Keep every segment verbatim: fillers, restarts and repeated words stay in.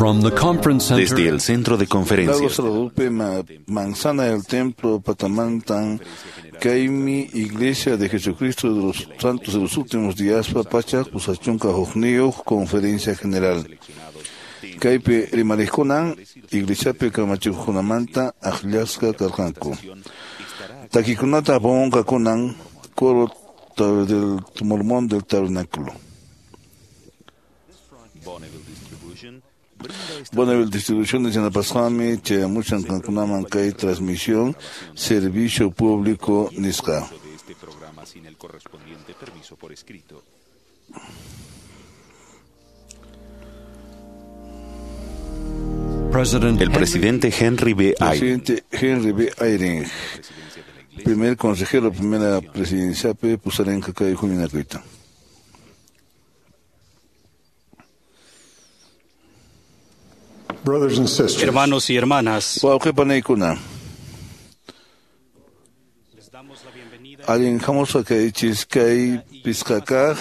From the conference center, Desde el centro de Lago conferencias Saradupe, Ma- Manzana del Templo, Patamantan, Kaimi, Iglesia de Jesucristo de los Santos de los Últimos Días, Papacha, Pusachunca, Jojnio, Conferencia General. Kaypi rimarikunan, Iglesiapi kamachikuqkunamanta akllasqa karqanku. Takikunata apamunqakunan, coro del Mormón del Tabernáculo. Bonneville Distribución de Yanapasqami, chayamushan qankunaman kay transmisión, servicio público nisqa. de este programa sin el correspondiente permiso por escrito. President El presidente Henry B. Eyring, Presidente Henry B. Eyring, primer consejero, primera presidencia, P. Pusarenka kay huñunakuyta. Brothers and sisters, Hermanos y hermanas, Wawqi panaykuna, les damos la bienvenida allin hamusqa kaychis kay pisqakaq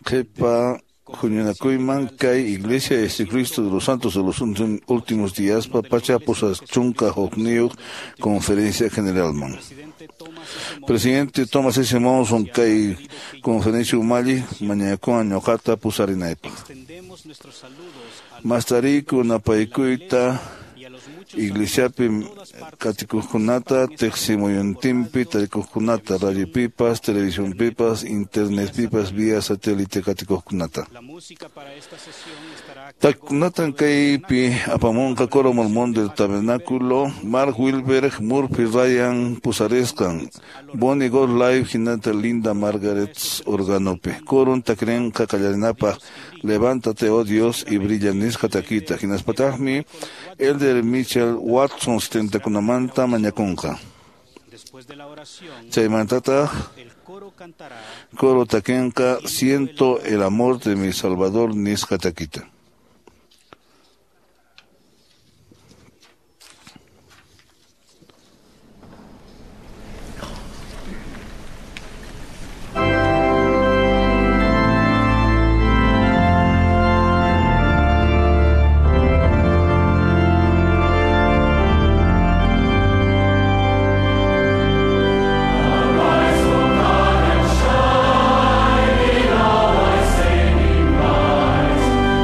qhipa huñunakuyman kay Iglesia de Jesucristo de los Santos de los Ultim- Últimos Días, papacha pusachunka hukniyuq Conferencia Generalman. presidente Thomas S. Monson, Presidente Thomas S. Monson kay Conferencia Umalli mañakuwan ñuqata pusarinaypaq. extendemos nuestros saludos a Mastariku napaykuyta y a los muchos Iglesiapi katikuqkunata, tiqsimuyuntinpi tarikuqkunata, radio pipas, televisión pipas, internet pipas, vía satélite katikuqkunata. La música para esta sesión estará a cargo Takunatan kaypi apamunqa coro mormón del tabernáculo, Mark Wilberg, Murphy Ryan pusarisqan, Bonnie God Live hinata Linda Margaret organopi. Coron takrenqa qallarinapaq, levántate oh Dios y brilla nisqa takita. Hinaspataqmi Elder Mitchell Watson setentakunamanta mañakunqa. Después de la oración, Chaymantataq el coro cantará coro takenqa siento el amor de mi Salvador nisqa takita.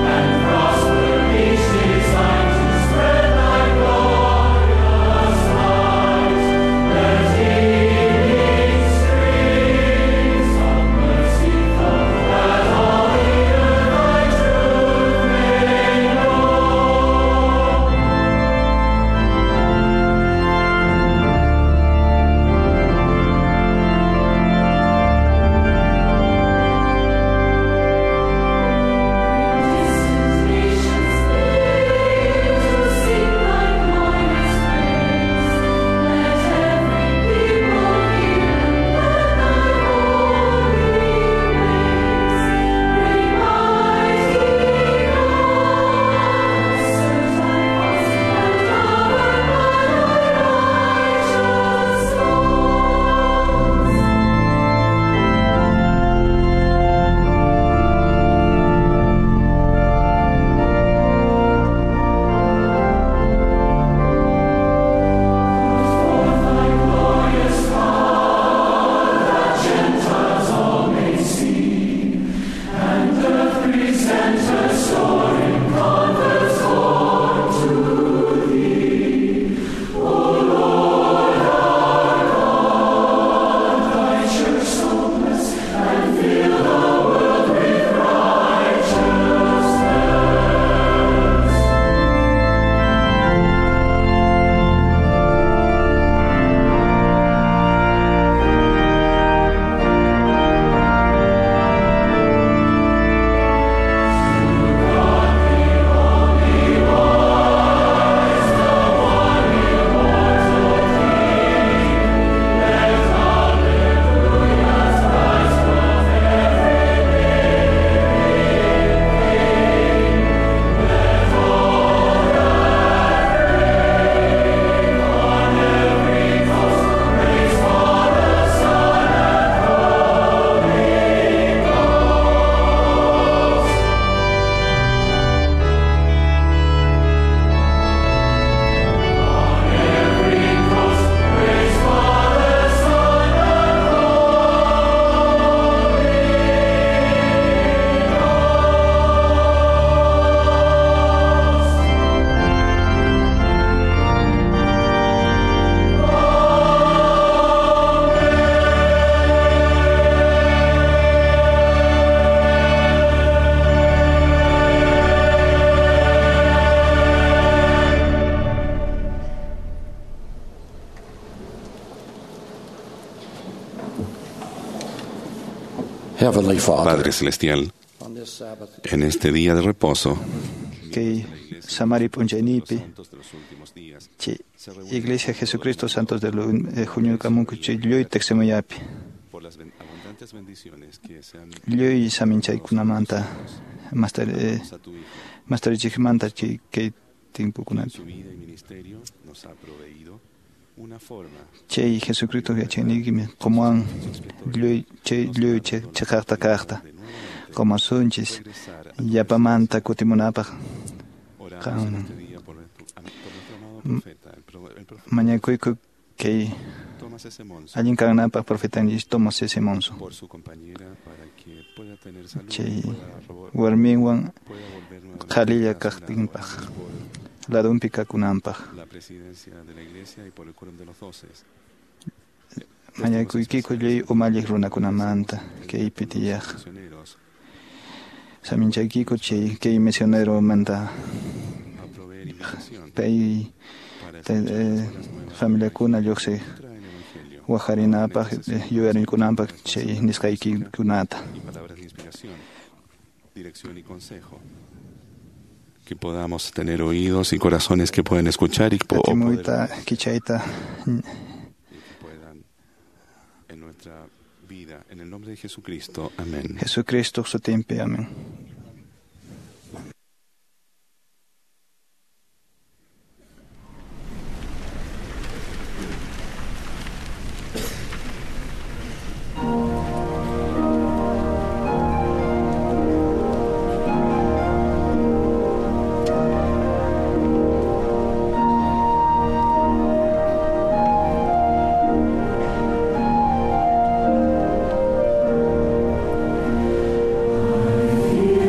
And Heavenly Father, Padre Celestial, en este día de reposo, Kay samari p'unchaynipi chay Iglesia Jesucristo Santos de huñukamunku chay lluy tiqsimuyapi lluy saminchaykunamanta mastarichikmanta chay kay timpukunapi chay Jesucristo yachayniykimi qumuwan lluy chay lluy chiqaqta kaqta qumasunchis yapamanta kutimunapaq qanman mañakuyku kay allin kananpaq profetanchis Thomas S. Monson chay warminwan qhalilla kaqtinpaq ladunpi kakunanpaq mañakuykiku lluy umalliq runakunamanta kaypi tiyaq saminchaykiku chay kay misioneromanta pay familiakuna lluqsiq waqarinapaq yuyarikunanpaq chay nisqaykikunata. Que podamos tener oídos y corazones que puedan escuchar y Atimuyta kichayta puedan en nuestra vida, en el nombre de Jesucristo. Amén. Jesucristo sutinpi. Amén. I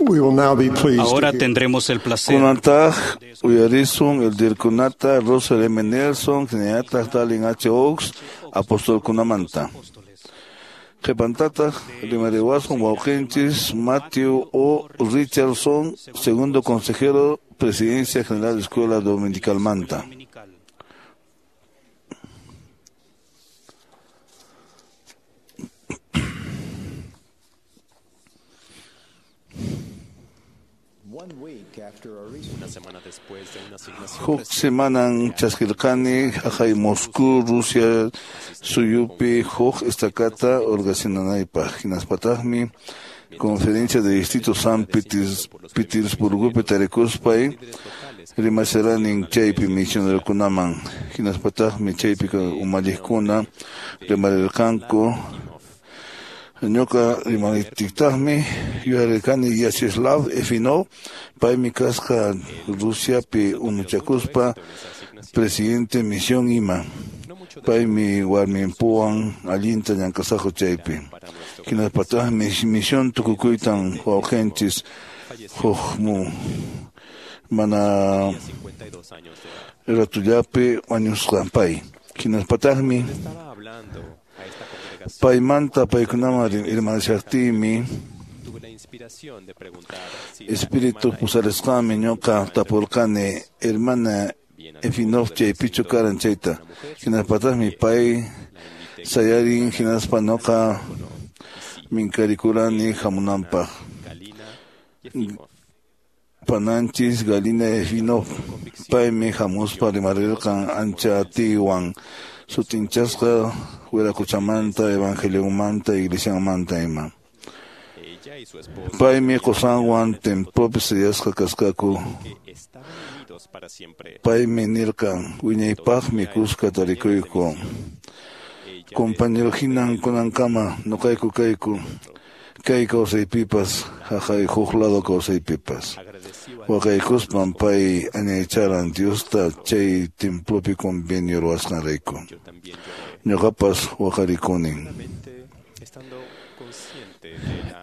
We will now be pleased to Ahora hear tendremos el placer Kunantaq uyarisun elderkunata Russell M. Nelson, hinallataq Dallin H. Oaks, apostolkunamanta. Qhipantataq rimariwasun wawqinchis Matthew O. Richardson, segundo consejero, Presidencia General de Escuela Dominicalmanta. dominical. Huk semanan chaskirqani haqay Moscú, Rusia suyupi huk estakata organizanaypaq. Hinaspataqmi Conferencia de Distrito San Peters, Petersburgopi tarikuspay rimasaranin chaypi misionerokunaman. Hinaspataqmi chaypi umalliqkuna rimarirqanku. Ñuqa rimariptiytaqmi yuyarirqani Vyacheslav Efinov, paymi kasqa Rusiapi unuchakuspa presidente misión ima. Paymi warminpuwan allinta llank'asaqku chaypi. Hinaspataqmi misión tukukuytan wawqinchis huk mu mana ratullapi wañusqa pay. Hinaspataqmi paymanta paykunaman rimarishaqtiymi espíritu pusarisqanmi ñuqa tapurqani hermana Efinov chaypichu karan chayta. Hinaspataqmi pay sayarin hinaspa ñuqa minkarikurani hamunanpaq. Pananchis Galina Efinov paymi hamuspa rimarirqan ancha atiywan sutinchasqa Wiraquchamanta, Evangeliomanta, Iglesiamanta ima. Paymi qusanwan templopi sellasqa kasqaku. Paymi nirqan wiñaypaqmi kuska tarikuyku. Compañero hinan kunankama ñuqayku kayku. Kay kawsaypipas, haqay huk lado kawsaypipas. Waqaykuspan pay añaycharan Diosta chay templopi convenio ruwasqanrayku. Ñuqapas waqarikunin.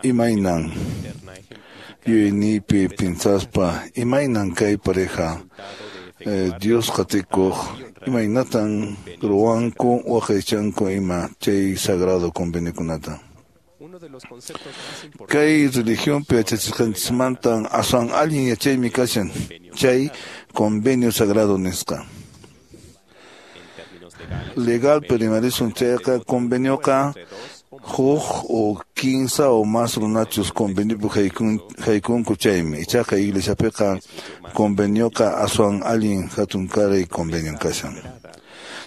Imaynan yuyayniypi pinsaspa, imaynan kay pareja eh, Dios qatikuq, imaynatan ruwanku waqaychanku ima chay sagrado conveniokunata. Kay religionpi yachachisqanchismantan aswan allin yachaymi kashan chay convenio sagrado nisqa. Legalpi rimarisun chayqa convenioqa huk o kinsa o mas runachus conveniopi haykun haykunku chaymi. Ichaqa iglesiapiqa convenioqa aswan allin hatunkaray convenio kashan.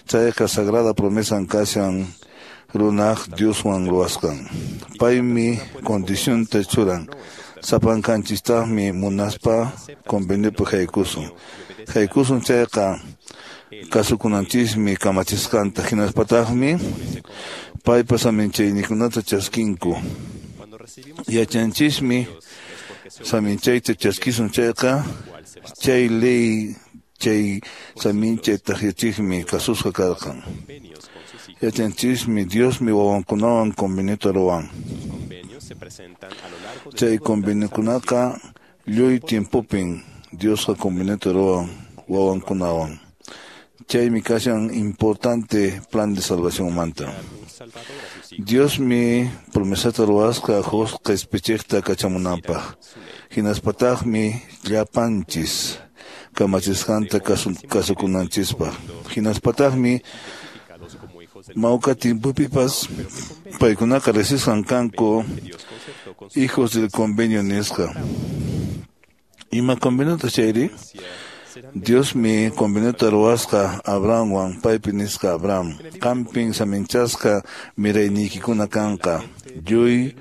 Chayqa sagrada promesan kashan runaq Dioswan ruwasqan. Paymi condicionta churan. Sapankanchistaqmi munaspa conveniopi haykusun. Haykusun chayqa kasukunanchismi kamachisqanta hinaspataqmi paypa saminchayninkunata chaskinku. Yachanchismi saminchayta chaskisun chayqa chay ley chay saminchay taqyachiqmi kasusqa karqan. Yachanchismi Diosmi wawankunawan conveniota ruwan. Chay conveniokunaqa lluy tiempopin Diosqa conveniota ruwan wawankunawan. Chaymi kashan importante plan de salvación manta. Diosmi promesata ruwasqa huk qhispichiqta kachamunanpaq. Hinaspataqmi llapanchis kamachisqanta kasukunanchispaq. Hinaspataqmi mawka timpupipas paykunaqa riqsisqan kanku hijos del convenio nisqa. Ima conveniota chayri? Diosmi conveniota ruwasqa Abrahamwan paypi nisqa Abraham. Qampin saminchasqa mirayniykikuna kanqa lluy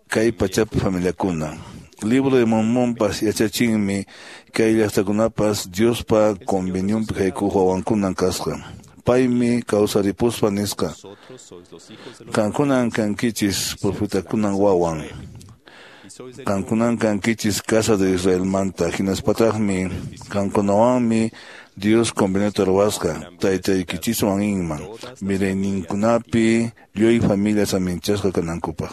kay pachapi familiakuna. Libro de Mormonpas yachachinmi kay llaqtakunapas Diospa convenionpi haykuq wawankunan kasqa. Paymi kawsaripuspa nisqa. Qankunan kankichis profetakunan wawan. Qankunan kankichis casa de Israelmanta. Hinaspataqmi qankunawanmi Dios conveniota ruwasqa taytaykichiswan inman mirayninkunapi lluy familia saminchasqa kanankupaq.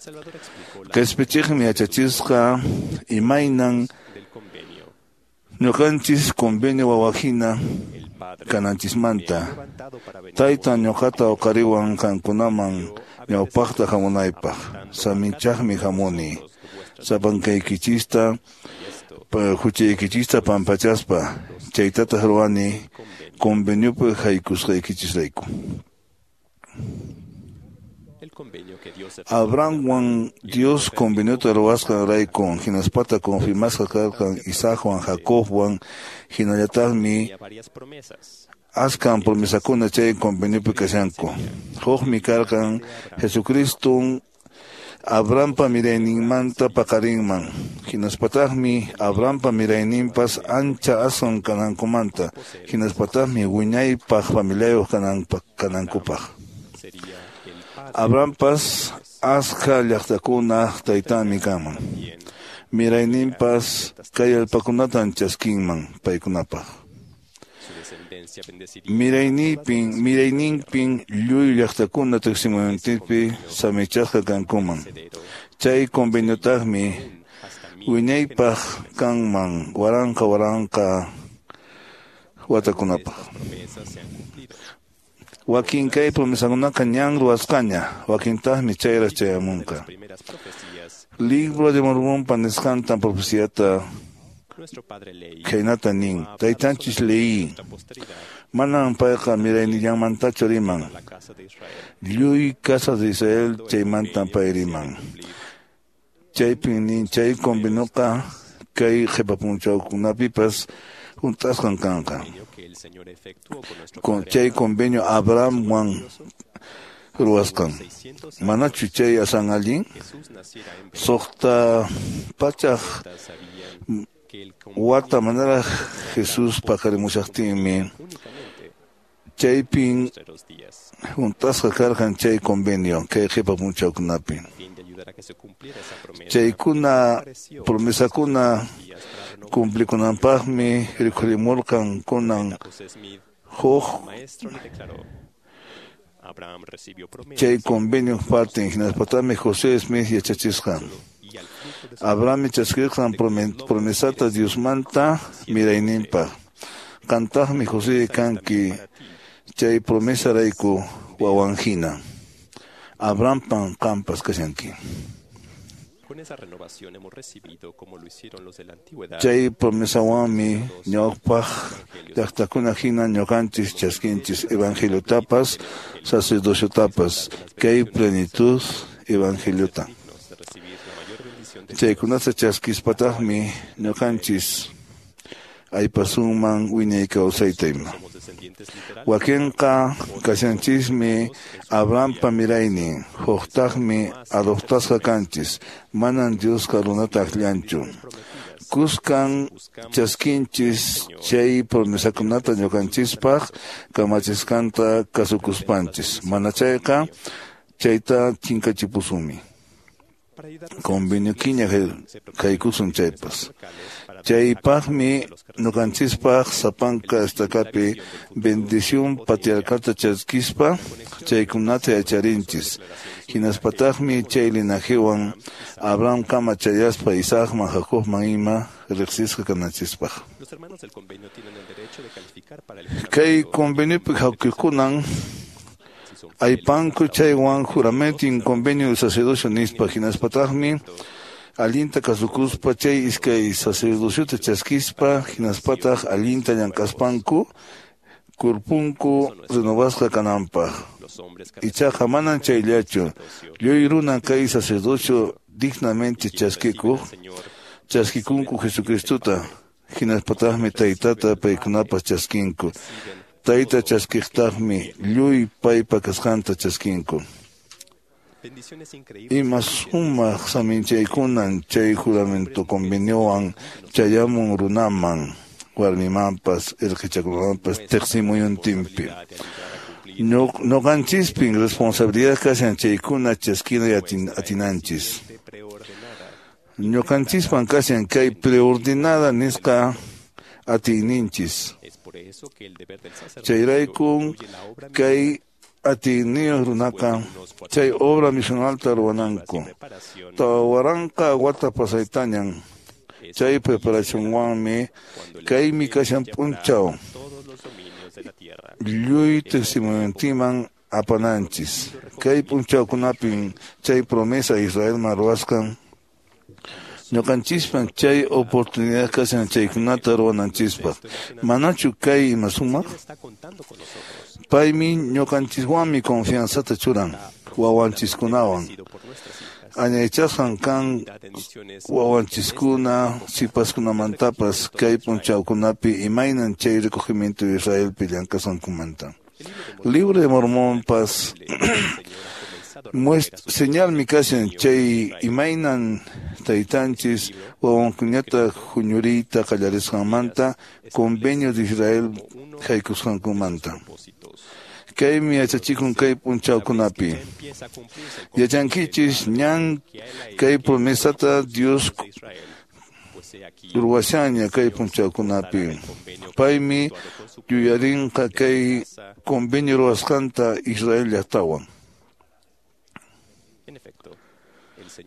Qhispichiqmi yachachisqa imaynan ñuqanchis convenio wawahina kananchismanta. Tayta ñuqata uqariwan qankunaman ñawpaqta hamunaypaq. Saminchaqmi hamuni. Sapankaykichista huchaykichista pampachaspa chaytataq ruwani conveniopi haykusqaykichisrayku. Abrahamwan Dios conveniota ruwasqanrayku hinaspata confirmasqa karqan Isaacwan Jacobwan hinallataqmi askan promesakuna chay conveniopi kashanku. Hukmi karqan Jesucristo Abrahampa mirayninmanta paqarinman hinaspataqmi Abrahampa mirayninpas ancha aswan kanankumanta hinaspataqmi wiñaypaq familiayuq kanankupaq. Abrahampas askha llaqtakuna taytanmi kanman. Mirayninpas kay allpakunatan chaskinman paykunapaq. Miraynipin, mirayninpin lluy llaqtakuna tiqsimuyuntinpi samichasqa kankuman. Chay conveniotaqmi wiñaypaq kanman waranqa waranqa watakunapaq. Wakin kay promesakunaqa ñan ruwasqaña, wakintaqmi chayraq chayamunqa. Libro de Mormonpa nisqantan profeciata khaynata nin, taytanchis leí, manan payqa miraynillanmantachu riman, lluy casa de Israel chaymantan pay riman. Chaypin nin chay convenioqa kay qhipapunchawkunapipas hunt'asqan kanqa. Con chay convenio Abrahamwan ruwasqan. Manachu chay asan allin? Suqta pachaq wata manaraq Jesús paqarimushaqtinmi chaypin hunt'asqa karqan chay convenio kay qhipa punchawkunapi. Chaykuna promesakuna cumplikunanpaqmi rikhurimurqan kunan huk chay convenio partin hinaspatami José Smith yachachisqan. Abraham chaskirqan promesata Diosmanta mirayninpaq. Qantaqmi José kanki chay promesarayku wawanhina. Abrahampan qampas kashanki. Chay promesawanmi ñawpaq llaqtakuna hina ñuqanchis chaskinchis evangeliotapas sacerdociotapas kay plenitud evangeliota. Chaykunata chaskispataqmi ñuqanchis aypasunman wiñay kawsayta ima. Wakinqa kashanchismi Abrahampa miraynin, huktaqmi adoptasqa kanchis, manan Diosqa runata akllanchu. Kuskan chaskinchis chay promesakunata ñuqanchispaq kamachisqanta kasukuspanchis, mana chayqa chayta chinkachipusunmi. Convenio kiña haykusun chaypas. Chaypaqmi ñuqanchispaq sapanka estakapi bendición patriarcalta chaskispa chaykunata yacharinchis. Hinaspataqmi chay linajewan Abraham kama chayaspa Isaacman Jacobman ima riqsisqa kananchispaq. Kay conveniopi hawkikunan aypanku chaywan juramento in convenio sacerdocio nispa hinaspataqmi allinta kasukuspa chay iskay sacerdociota chaskispa hinaspataq allinta llank'aspanku kurpunku renovasqa kananpaq. Ichaqa manan chayllachu lluy runa kay sacerdocio dignamente chaskikuq chaskikunku Jesucristota hinaspataqmi taytata paykunapas chaskinku. Tayta chaskiqtaqmi lluy paypa kasqanta chaskinku. Ima sumaq saminchaykunan chay juramento conveniowan chayamun runaman warmimanpas irqichakunamanpas tiqsimuyuntinpi. Ñuqanchispin responsabilidad kashan chaykuna chaskina atinanchis. Ñuqanchispan kashan kay preordenada nisqa atiyninchis. Chayraykun kay atiyniyuq runaqa chay obra misionalta ruwananku. Tawa waranqa wata pasaytañan chay preparacionwanmi kaymi kashan p'unchaw lluy testimonioman apananchis. Kay p'unchawkunapin chay promesa Israelman ruwasqan ñuqanchispan chay oportunidad kashan chaykunata ruwananchispaq. Manachu kay ima sumaq? Paymi ñuqanchiswanmi confianzata churan wawanchiskunawan. Añaychasqan kan wawanchiskuna sipaskunamantapas kay p'unchawkunapi imaynan chay recogimiento Israelpi llank'asqankumanta. Libro de Mormonpas señalmi kashan chay imaynan taytanchis wawankunata huñuriyta qallarisqanmanta convenio de Israel haykusqankumanta. Kaymi yachachikun kay p'unchawkunapi. Yachankichis ñan kay promesata Dios ruwashaña kay p'unchawkunapi. Paymi yuyarinqa kay convenio ruwasqanta Israel llaqtawan.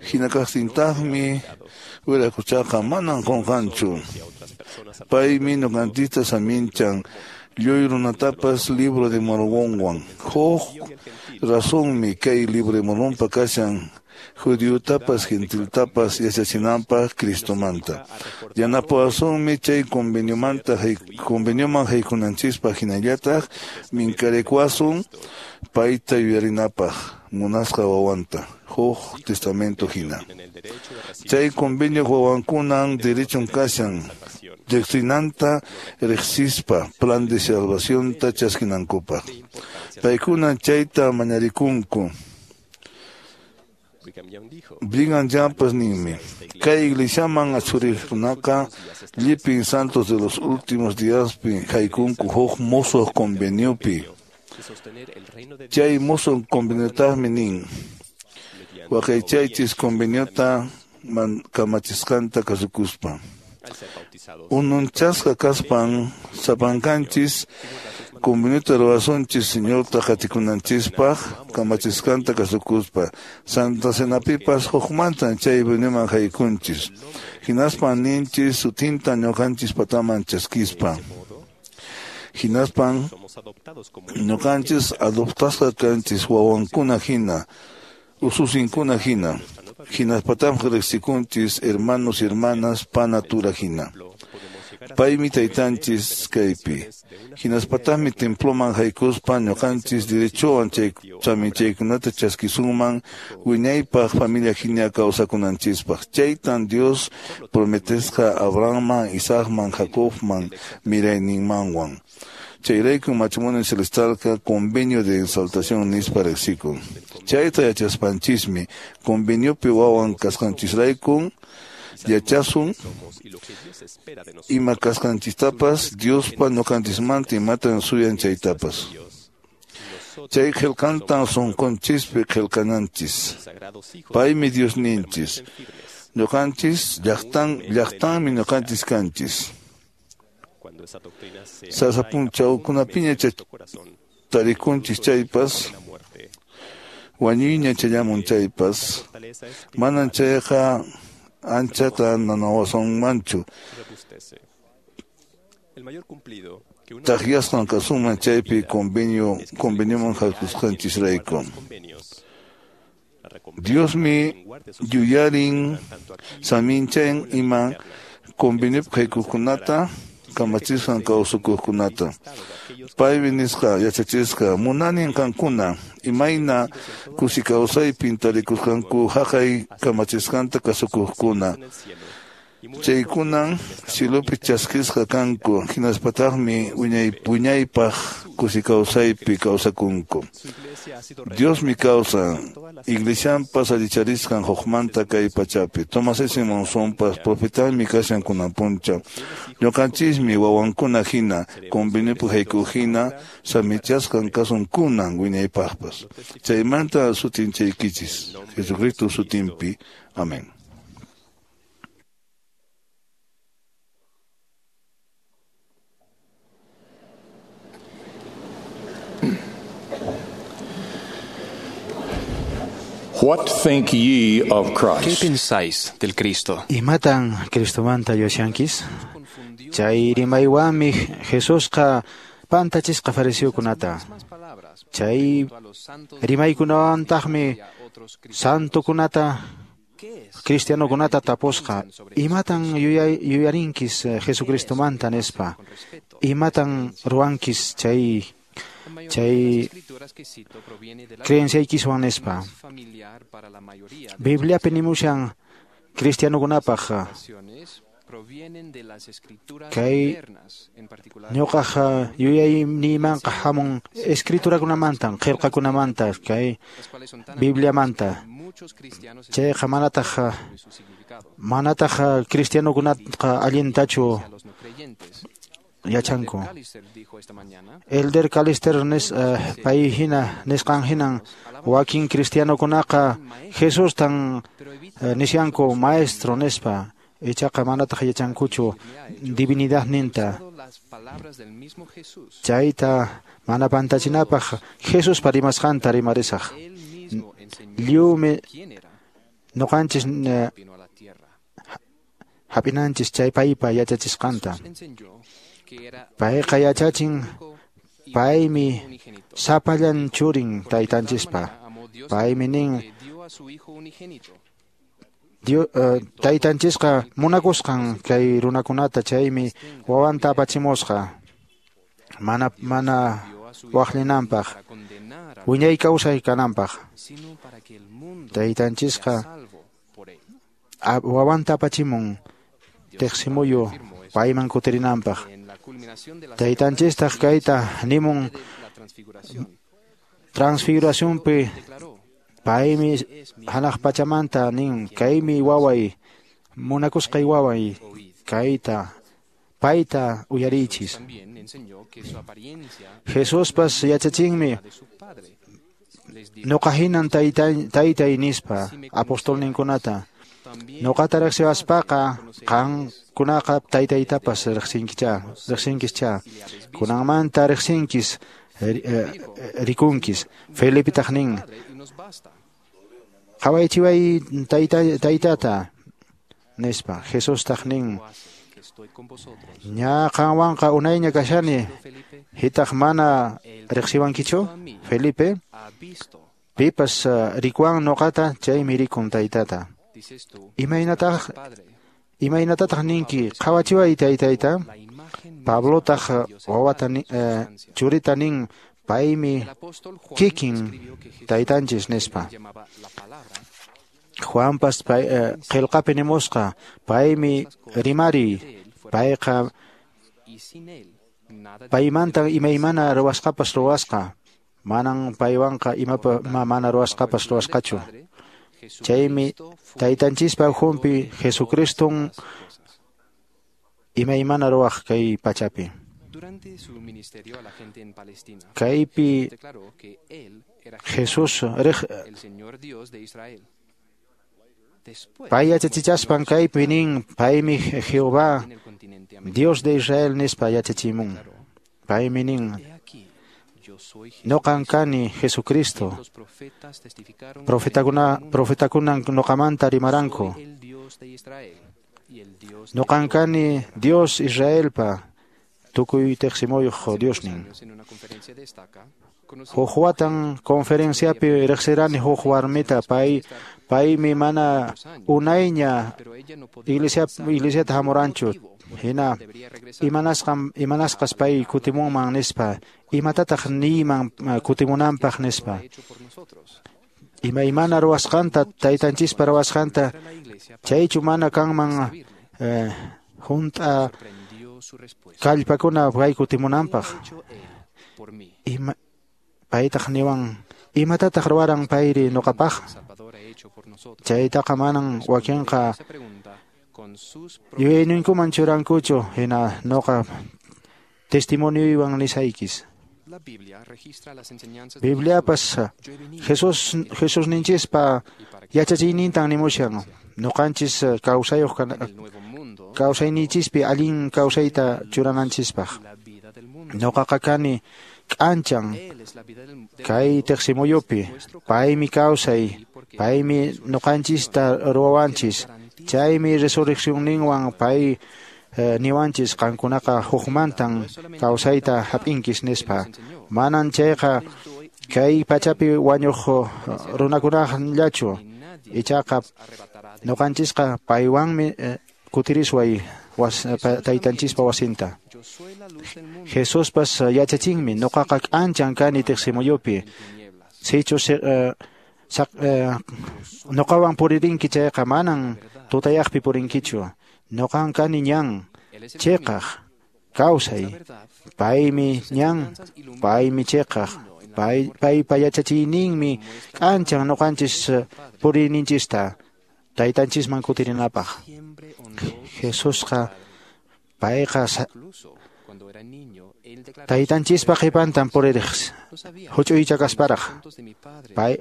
Hina kaqtintaqmi wiraquchaqa manan qunqanchu. Paymi ñuqanchista saminchan lluy runatapas Libro de Mormonwan. Huk razonmi kay Libro de Mormonpa kashan judiotapas gentiltapas yachachinanpaq Cristomanta. Yanapawasunmi chay conveniomanta convenioman haykunanchispaq hinallataq minkarikuwasun payta yuyarinapaq munasqa wawanta huk testamento hina. Chay convenio wawankunan derechon kashan doctrinanta riqsispa plan de salvacionta chaskinankupaq. Paykunan chayta mañarikunku. Brigham Youngpas ninmi kay iglesiaman achuriqkunaqa llipin santos de los últimos diaspi haykunku huk musuq conveniopi. Chay musuq conveniotaqmi nin waqaychaychis conveniota kamachisqanta kasukuspa. Ununchasqa kaspan sapankanchis conveniota ruwasunchis Señorta qatikunanchispaq kamachisqanta kasukuspa. Santa Cenapipas hukmantan chay reunionman haykunchis. Hinaspan ninchis sutinta ñuqanchis pataman chaskispa. Hinaspan ñuqanchis adoptasqa kanchis wawankuna hina, ususinkuna hina. Hinaspatam riqsikunchis hermanos y hermanas panatura hina. Paymi taytanchis kaypi. Hinaspataqmi temploman haykuspa ñuqanchis derechowan chay chaminchaykunata chaskisunman wiñaypaq familia hina kawsakunanchispaq. Chaytan Dios prometesqa Abrahamman, Isaacman, Jacobman, mirayninmanwan. Chayrayku matrimonio celestialqa convenio de exaltación nispa riqsikun. Chayta yachaspanchismi conveniopi wawan kasqanchisraykun yachasun ima kasqanchistapas Diospa ñuqanchismanta imatan suyan chaytapas. Chay qillqantan sunqunchispi qillqananchis. Paymi Diosninchis. Ñuqanchis llaqtan llaqtanmi ñuqanchis kanchis. Sasa p'unchawkunapiña tarikunchis chaypas wañuyña chayamun chaypas manan chayqa anchata nanawasunmanchu. Taqyasqan kasunman chaypi convenio convenioman haykusqanchisrayku. Diosmi yuyarin saminchan ima conveniopi haykuqkunata kamachisqan kawsakuqkunata. Paymi nisqa yachachisqa munanin qankuna imayna kusi kawsaypin tarikusqanku haqay kamachisqanta kasukuqkuna. Chaykunan cielopi chaskisqa kanku hinaspataqmi wiñay wiñaypaq kusi kawsaypi kawsakunku. Diosmi kawsan iglesianpas allicharisqan hukmanta kay pachapi. Thomas S. Monsonpas profetaymi kashan kunan punchaw. Ñuqanchismi wawankuna hina conveniopi haykuq hina samichasqan kasun kunan wiñaypaqpas. Chaymanta sutinchaykichis Jesucristo sutinpi. Amén. What think ye of ¿Qué Christ? pensáis del Cristo? Imatan Cristomanta yuyashankish? Chay rimaywanmi Jesusqa pantachisqa fariseokunata. Chay rimaykunawantaqmi santokunata cristianokunata tapusqa. Imatan yuyay, yuyarinkis eh, Jesucristomanta nispa? Imatan ruwankis chay chay creenciaykiswan nispa? Bibliapi nimushan cristianokunapaq kay ñuqaq yuyayniymanqa hamun escriturakunamantan, qillqakunamanta, kay Bibliamanta. Chayqa manataq manataq cristianokunaqa allintachu yachanku. Elder Callister nis, uh, pay hina nisqan hinan wakin cristianokunaqa Jesustan uh, nisyanku maestro nispa. Ichaqa manataq yachankuchu divinidad ninta. Chayta mana pantachinapaq Jesuspa rimasqanta rimarisaq. Lliwmi ñuqanchis uh, hap'inanchis chay paypa yachachisqanta. Payqa yachachin paymi sapallan churin taytanchispa. Paymi nin Dios, uh, taytanchisqa munakusqan kay runakunata chaymi wawanta apachimusqa mana mana waqllinanpaq wiñay kawsay kananpaq. Taytanchisqa wawanta apachimun teqsimuyu payman kutirinanpaq. Taytanchistaq kayta nimun transfiguracionpi paymi hanaq pachamanta nin kaymi waway munakusqay waway kayta payta uyarichis. Jesuspas yachachinmi ñuqa hinan taytay taytay nispa apostolninkunata. Ñuqata riqsiwaspaqa qankunaqa taytaytapas riqsinkichá riqsinkischá kunanmanta riqsinkis rikunkis. Felipetaq nin qhawaychiway tayta taytata nispa. Jesustaq nin ña qanwanqa unayña kashani hitaq mana riqsiwankichu Felipe. Pipas rikuwan ñuqata chaymi rikun taytata. Imaynataq imaynatataq ninki qhawachiway taytayta? Pablotaq wawata eh, churita nin paymi kikin taytanchis nispa. Juanpas pay, eh, qillqapi nimusqa paymi rimari payqa paymanta imaymana ruwasqapas ruwasqa manan paywanqa imapa mana ruwasqapas ruwasqachu. Chaymi taytanchispa ukhunpi Jesucriston imaymana ruwaq kay pachapi. Kaypi Jesús riq pay yachachichaspan kaypi nin paymi Jehová Dios de Israel nispa yachachimun. Paymi nin ñuqan kani Jesucristo. Profetakuna profetakunan ñuqamanta rimaranku. Ñuqan kani Dios Israelpa tukuy teqsimuyuq Diosnin. Huk watan conferenciapi riqsirani huk warmita pay paymi mana unayña iglesia iglesiata hamuranchu. Hina imanasqam imanasqas pay kutimunman nispa imatataq niyman kutimunanpaq nispa. Imaymana ruwasqanta taytanchispa ruwasqanta chaychu mana kanman eh, hunt'a kallpakuna pay kutimunanpaq. Ima paytaq niwan imatataq ruwaran payri ñuqapaq? Chaytaqa manan wakinqa yuyayninkuman churankuchu hina ñuqa testimonioywan nisaykis. Bibliapas Jesús Jesusninchispa yachachiynintan nimushan ñuqanchis kawsayuq kawsayninchispi allin kawsayta churananchispaq. Ñuqaqa kani k'anchan kay tiqsimuyupi. Paymi kawsay, paymi ñuqanchista ruwawanchis. Chaymi resurreccionninwan pay eh, niwanchis qankunaqa hukmantan kawsayta hap'inkis nispa. Manan chayqa kay pachapi wañuq runakunallachu, ichaqa ñuqanchisqa paywanmi eh, kutirisway was, taytanchispa wasinta. Jesuspas yachachinmi ñuqaqa k'anchan kani tiqsimuyupi. Sichus eh, ñuqawan puririnki chayqa manan tutayaqpi purinkichu. Ñuqan kani ñan chiqaq kawsay. Paymi ñan, paymi chiqaq. Pay, paypa yachachiyninmi k'anchan ñuqanchis puriyninchista taytanchisman kutirinapaq. Jesusqa payqa taytanchispa qhipantan puririq huch'uycha kasparaq. Pay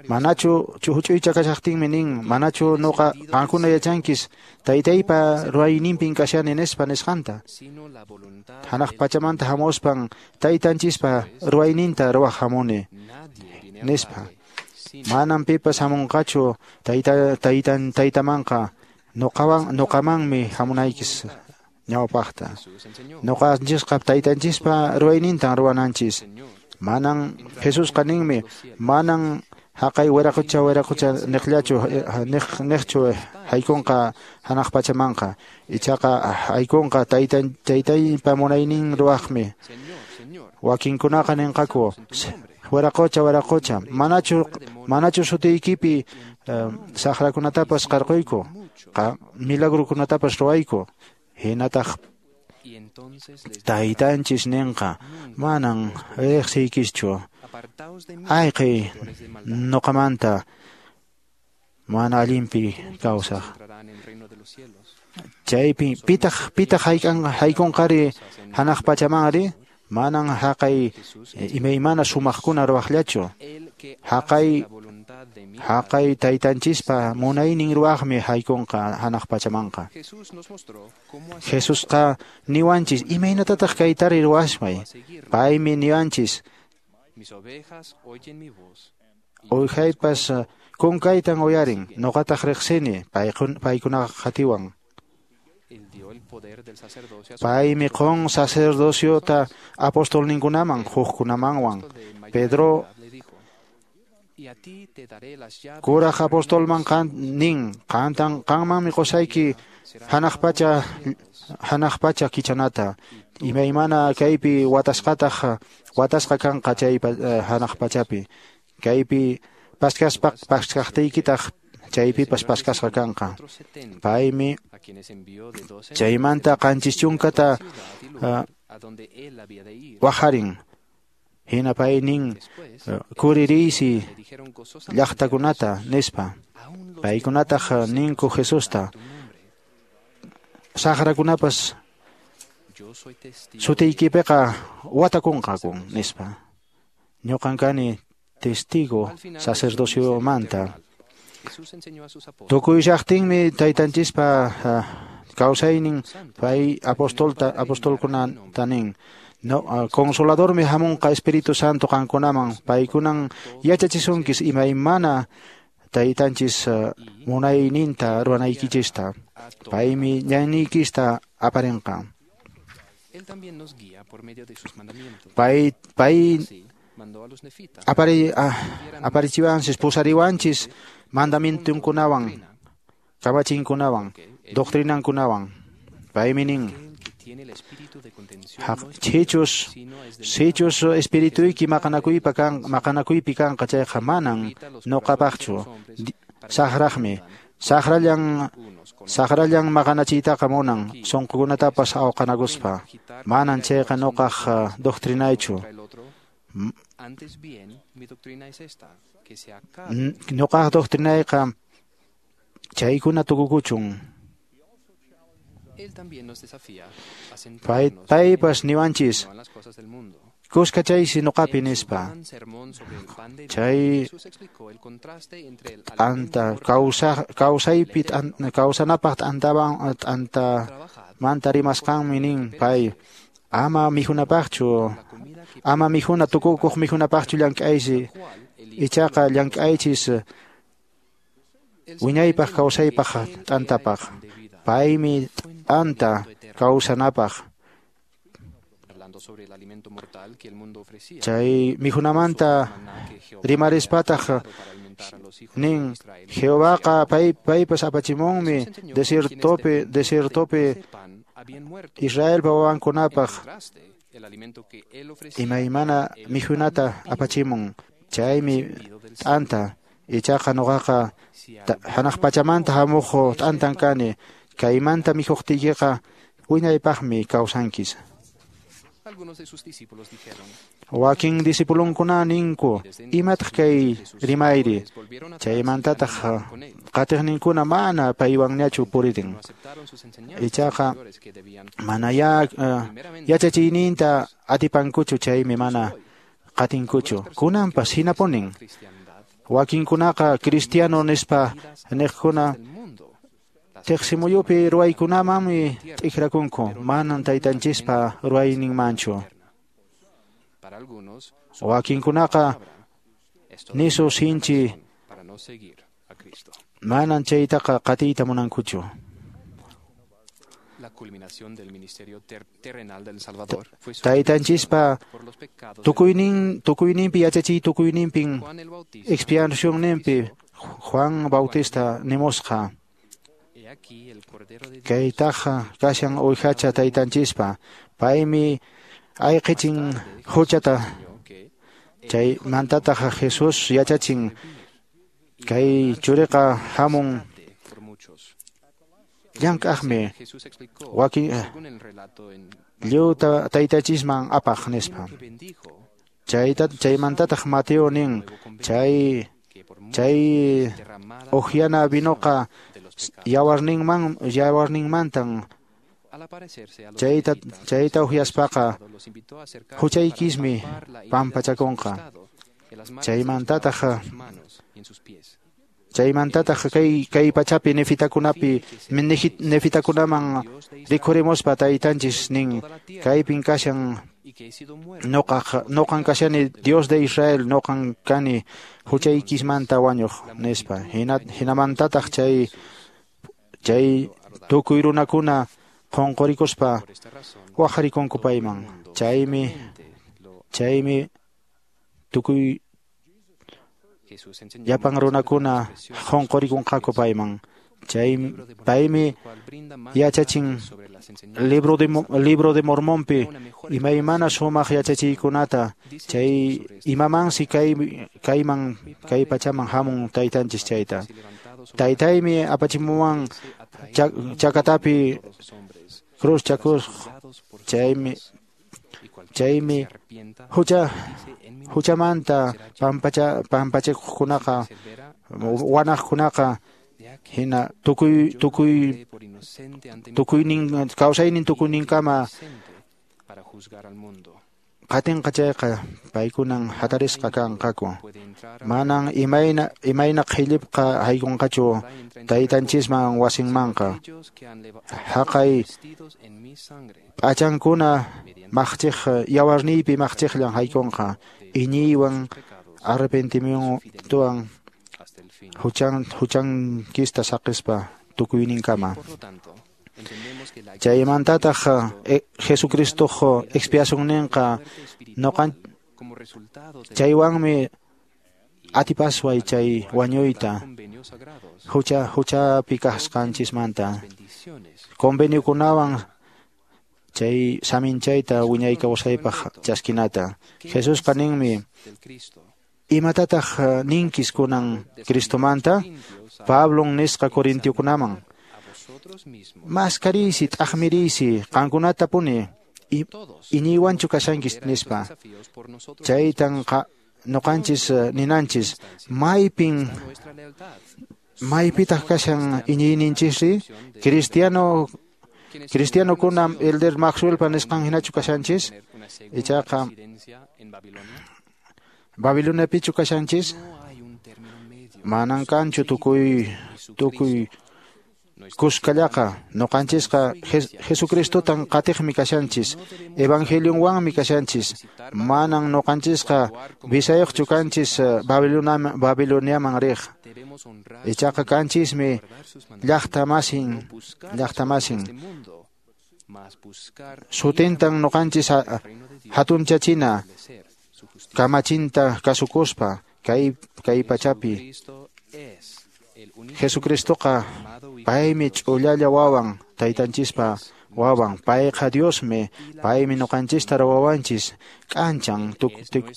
manachu huch'uycha kashaqtinmi nin, manachu nuqa qankuna yachankis taytaypa ruwayninpin kashani nispa nisqanta. Hanaq pachamanta hamuspan taytanchispa ruwayninta ruwaq hamuni nispa. Manan pipas hamunqachu tayta taytan taytamanqa nuqawan nuqamanmi hamunaykis ñawpaqta. Ñuqanchisqa taytanchispa ruwaynintan ruwananchis. Manan Jesusqa ninmi, manan haqay wiraqucha wiraqucha niqllachu niq niqchu haykunqa hanaq pachamanqa. Ichaqa haykunqa taytan taytaypa munaynin ruwaqmi. Wakinkunaqa ninqaku wiraqucha wiraqucha manachu manachu sutiykipi saqrakunatapas qarquyku, milagrukunatapas ruwayku. Hinataq taytanchis ninqa manan riqsiykischu. Ayqiy ñuqamanta mana allinpi kawsaq. Chaypi pitaq pitaq haykunqari hanaq pachamanri? Manan haqay imaymana sumaqkuna ruwaqllachu. Haqay haqay taytanchispa munaynin ruwaqmi haykunqa hanaq pachamanqa. Jesusqa niwanchis imaynatataq kaytari ruwasmay. Paymi niwanchis uwihaypas kunkaytan uyarin, ñuqataq riqsini paykunaqa qatiwan. Paymi qun sacerdociota apostolninkunaman hukkunamanwan. Pedro kuraq apostolman qan nin, qantan qanmanmi qusayki hanaq pacha hanaq pacha kichanata. Imaymana kaypi watasqataq watasqa kanqa chay hanaq pachapi. Kaypi paskaspa paskaqtiykitaq chaypipas paskasqa kanqa. Paymi chaymanta qanchis chunkata wajarin. Hina pay nin kuririysi llaqtakunata nispa. Paykunataq ninku Jesusta saqrakunapas sutiykipiqa watakunqaku nispa. Ñuqan kani testigo sacerdociomanta. Tukuy llaqtinmi taytanchispa kawsaynin pay apostolta apostolkunata nin. No, consoladormi hamunqa Espíritu Santo qankunaman, paykunan yachachisunkis imaymana taytanchis munayninta ruwanaykichista. Paymi ñanniykista aparinqa. Pay pay apari aparichiwanchis pusariwanchis mandamientunkunawan, kamachinkunawan, doctrinankunawan. Paymi nin sichus sichus espirituyki maqanakuypa kan maqanakuypi kanqa chayqa manan ñuqapaqchu. Saqraqmi saqrallan saqrallan maqanachiytaqa munan sunqukunatapas awqanakuspa. Manan chayqa ñuqaq doctrinaychu. Ñuqaq doctrinayqa chaykuna tukukuchun. Pay paypas niwanchis kuskachaysi ñuqapi nispa. Chay t'anta kawsa kawsaypi kawsanapaq t'antawan t'anta manta rimasqanmi nin pay Ama mikhunapaqchu, ama mikhuna tukukuq mikhunapaqchu llank'aysi, ichaqa llank'aychis wiñaypaq kawsaypaq t'antapaq. Paymi t'anta kawsanapaq. Chay mikhunamanta rimarispataq nin Jehovaqa pay paypas apachimunmi desiertopi desiertopi Israelpa wawankunapaq imaymana mikhunata apachimun. Chaymi t'anta, ichaqa nuqaqa hanaq pachamanta hamuq t'antan kani, kaymanta mikhuqtiykiqa wiñaypaqmi kawsankis. Wakin discipulonkuna ninku, imataq kay rimayri? Chaymantataq qatiqninkuna mana paywanñachu puririn. Ichaqa mana ya yachachiyninta atipankuchu, chaymi mana qatinkuchu. Kunanpas hinapunin. Wakinkunaqa cristiano nispa niqkuna tiqsimuyupi ruwaykunamanmi t'ikrakunku, manan taytanchispa ruwayninmanchu. Wakinkunaqa nisu sinchi manan chaytaqa qatiyta munankuchu. Taytanchispa tukuynin tukuyninpi yachachiy tukuyninpin expiacionninpi Juan Bautista nimusqa. Kaytaqa kashan uwihacha taytanchispa, paymi ayqichin huchata. Chaymantataq Jesús yachachin kay churiqa hamun llank'aqmi wakin lliwta taytachisman apaq nispa. Chayta chaymantataq Mateo nin chay chay uhyana vinoqa yawarninman yawarninmantan chayta chayta uhyaspaqa huchaykismi pampachakunqa. Chaymantataq chaymantataq kay kay pachapi nefitakunapi nefitakunaman rikhurimuspa taytanchis nin kaypin kashan noqa noqan kashani Dios de Israel, noqan kani huchaykismanta wañuq nispa. Hina hinamantataq chay chay tukuy runakuna qunqurikuspa waqarikunku payman. Chaymi chaymi tukuy llapan runakuna qunqurikunqaku payman. Chay paymi yachachin libro de libro de Mormonpi imaymana sumaq yachachiykunata, chay imamansi kay kayman kay pachaman hamun taytanchis chayta. Taytaymi apachimuwan chakatapi cruz chakus, chaymi chaymi hucha huchamanta pampacha pampachakuqkunaqa wanaqkunaqa hina tukuy tukuy tukuynin kawsaynin tukuyninkama qatinqa chayqa paykunan hatarisqa kanqaku. Manan imayna imayna qhillipqa haykunqachu taytanchisman wasinmanqa. Haqay p'achankuna maqchiq yawarniypi maqchiqllan haykunqa iñiywan arrepentimientowan huchan huchankista saqispa tukuyninkama. Chaymantataq Jesucristoq expiacionninqa noqan chaywanmi atipasway chay wañuyta hucha huchapi kasqanchismanta. Conveniokunawan chay saminchayta wiñay kawsaypaq chaskinata. Jesusqa ninmi, imatataq ninkis kunan Cristomanta? Pablon nisqa Corintiokunaman, maskariysi t'aqmiriysi qankunata puni iñiywanchu kashankis nispa. Chaytan noqanchis ninanchis, maypin maypitaq kashan iñiyninchisri? Cristiano cristianokuna Elder Maxwellpa nisqan hinachu kashanchis? Ichaqa Babiloniapichu kashanchis? Manan kanchu tukuy tukuy Kuskallaqa noqanchisqa Jesucristotan qatiqmi kashanchis, evangelionwanmi kashanchis. Manan noqanchisqa visayuqchu kanchis Babiloniaman riq. Ichaqa kanchismi llaqtamasin, llaqtamasin. Sutintan noqanchis hatunchachina kamachinta kasukuspa kay kay pachapi. Jesucristoqa paymi ch'ullalla wawan, taytanchispa wawan, payqa Diosmi, paymi noqanchista ruwawanchis k'anchan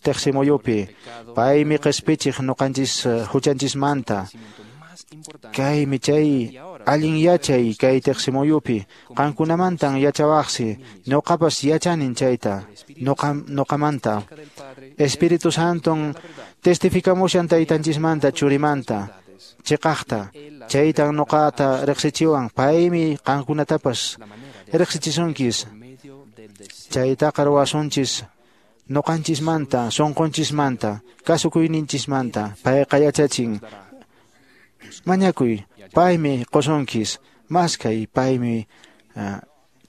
teqsimuyupi, paymi qhispichiq noqanchis huchanchismanta. Kaymi chay allin yachay kay teqsimuyupi, qankunamantan yachawaqsi, noqapas yachanin chayta, noqa noqamanta. Espíritu Santon testificamushan taytanchismanta churimanta. Chiqaqta, chaytan noqata riqsichiwan, paymi qankunatapas riqsichisunkis. Chaytaqa ruwasunchis noqanchismanta, sunqunchismanta, kasukuyninchismanta. Payqa yachachin. Mañakuy, paymi qusunkis, maskay, paymi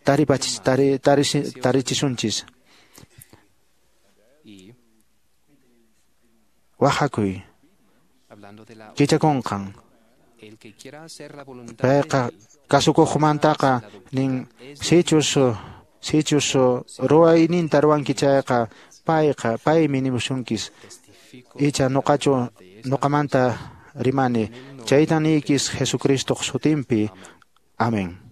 taripachis, tari, tarichisunchis. Wahakuy. Kichakunqan. Payqa kasukuqmantaqa nin sichus sichus ruwayninta ruwanki chayqa payqa paymi nimusunkis. Icha noqachu noqamanta rimani. Chaytan niykis Jesucristoq sutinpi. Amén.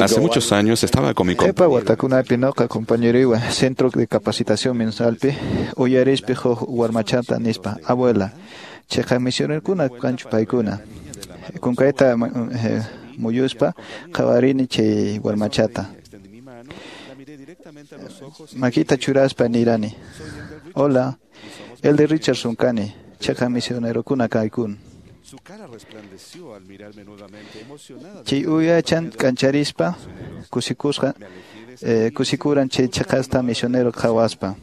Hace muchos años estaba con mi Qhipa watakunapi noqa compañeruywan Centro de Capacitación Mensualpi uyarispi huk warmachata nispa, abuela, chiqa misionerkuna kanchu paykuna. Kunkayta muyuspa qhawarini chay warmachata. Makita churaspa nirani, hola, el de Richardson kani, chiqa misionerokuna kaykun. Chay uyachan k'ancharispa kusikusqa eh, kusikuran chay chiqasta misionero qhawaspa.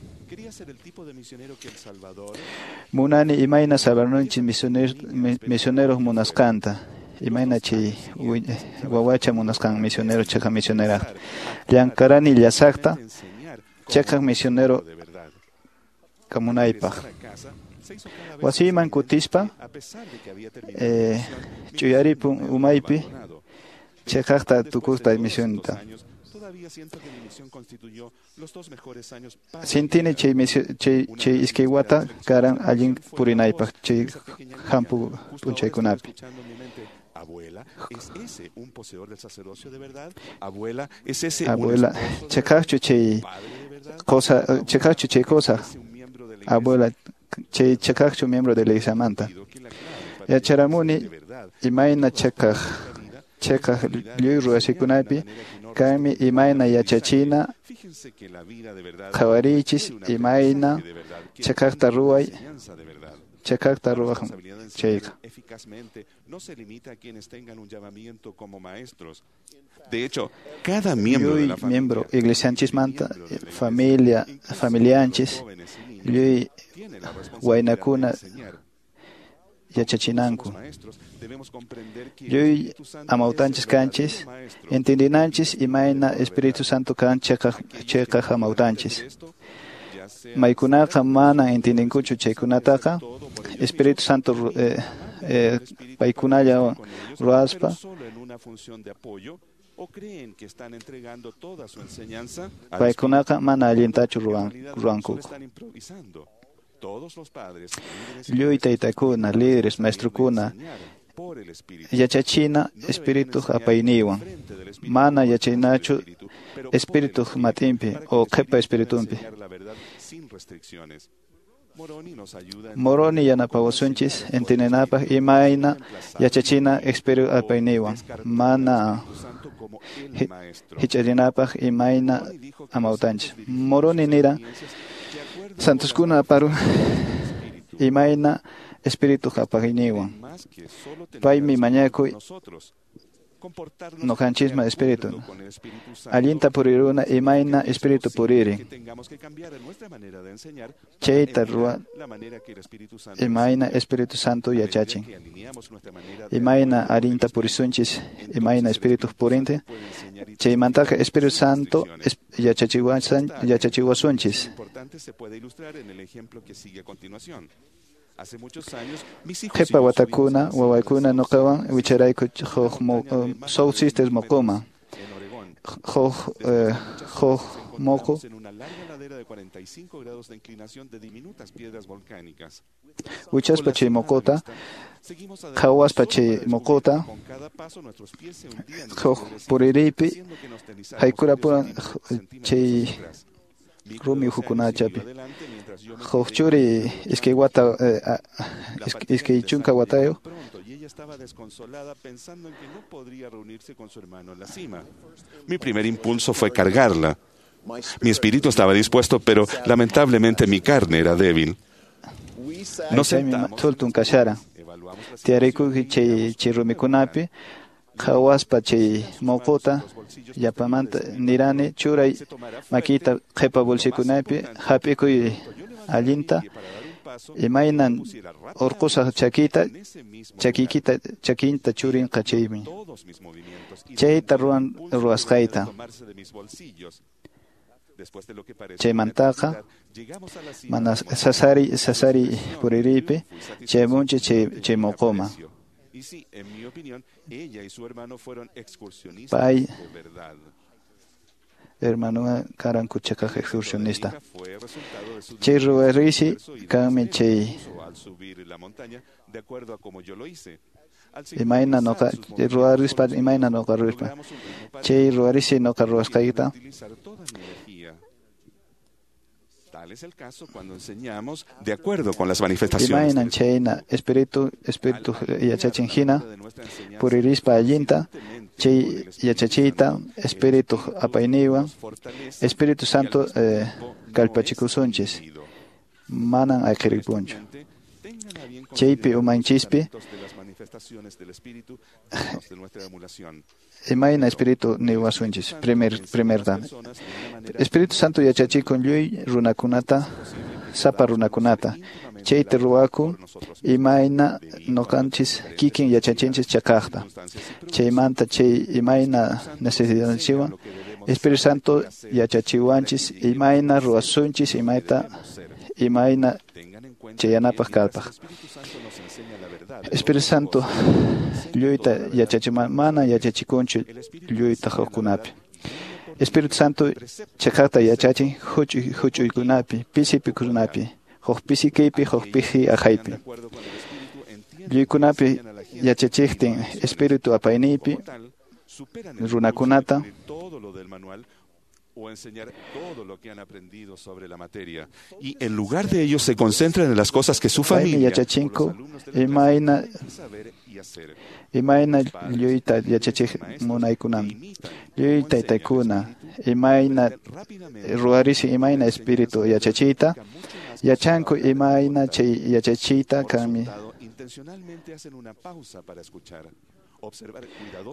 Munani imayna sabarnunchis misionero misioneros munasqanta, imayna chay wawacha munasqan misionero chiqa misionera. Llankarani llasaqta chiqa misionero kamunaypaq. Wasiyman kutispa eh, chuyaripun umaypi chiqaqta tukuqta misionta. Sintini chay chay chay iskay wata karan allin purinaypaq chay hampu p'unchaykunapi. Abuela, chiqaqchu chay cosa, chiqaqchu chay cosa, abuela, chay chiqaqchu miembro de la iglesiamanta. Yacharamuni imayna chiqaq chiqaq lliw ruwasikunapi kaymi imayna yachachina qhawariychis imayna chiqaqta ruway chiqaqta ruwaq chayqa. De hecho, cada miembro de la familia, miembro iglesianchismanta, familia, familianchis, lluy waynakuna yachachinanku. Lluy amawtanchis kanchis, entendinanchis imayna Espíritu Santo kan chiqaq chiqaq amawtanchis. Maykunaqa mana entendinkuchu chaykunataqa, Espíritu Santo eh, eh, paykunalla ruwaspa paykunaqa mana allintachu ruwan ruwankuku. Lluy taytakuna, líderes, maestrukuna, yachachina Espírituq apayninwan. Mana yachaynachu Espírituq matinpi o qhipa Espiritunpi. Moroni yanapawasunchis entendenapaq imayna yachachina Espíritu apayninwan. Mana hich'arinapaq imayna amawtanchis. Moroni nira santoskuna aparu imayna Espíritu apayninwan. Paymi mañakuy Noqanchisman espíritu. Allinta puriruna imayna espíritu puririn. Chayta ruwa imayna Espíritu Santo yachachin. Imayna allinta purisunchis imayna espíritu purinte. Chaymantaqa Espíritu Santo yachachiwasan yachachiwasunchis. Qhipa watakuna wawaykuna nuqawan wicharayku huk South Sisters moqoma. Huk huk moqo wichaspa chay moqota qhawaspa chay moqota huk puririypi haykurapuran chay rumi ukhukunachapi huk churi iskay wata iskay chunka watayuq. Mi primer impulso fue cargarla. Mi espíritu estaba dispuesto, pero lamentablemente mi carne era débil. Nos sentamos kasharan. Tiyarikuki chay chay rumikunapi qhawaspa chay moqota yapamanta nirani churay makita qhipa bolsikunapi hap'ikuy allinta imaynan urqusaq chakita chakiykita chakinta churinqa chaymi chayta ruwan ruwasqayta. Chaymantaqa mana sasari sasari puririypi chaymunchi chay chay moqoma. Pay hermanuqa karanku chakaq excursionista. Chay ruwariysi kanmi chay imayna noqa ruwarispa imayna noqa ruwarispa chay ruwarisi noqa ruwasqayta. Tal es el caso cuando enseñamos de acuerdo con las manifestaciones. Imaynan chayna espíritu espíritu yachachin hina puririspa allinta chay yachachiyta espíritu apayniwan Espíritu Santo eh, kallpachikusunchis manan ayqiripunchu. Chaypi umanchispi imayna espíritu niwasunchis primer primerta Espíritu Santo yachachikun lluy runakunata sapa runakunata chayta ruwakun imayna noqanchis kikin yachachinchis chakaqta chaymanta chay imayna necesidadninchikwan Espíritu Santo yachachiwanchis imayna ruwasunchis imayta imayna chayanapaq kallpaq. Espíritu Santo lluyta yachachiman mana yachachikunchu lluyta hukkunapi. Espíritu Santo chakaqta yachachin huch'uy huch'uykunapi pisi pikunapi huk pisi kaypi huk pisi aqhaypi. Lluykunapi yachachiqtin Espíritu apayniypi runakunata o enseñar todo lo que han aprendido sobre la materia. Y en lugar de ello se concentran en las cosas que su familia yachachinku imayna imayna lluyta yachachiq munaykunan lluy taytaykuna imayna ruwarisi imayna espíritu yachachiyta yachanku imayna chay yachachiyta kanmi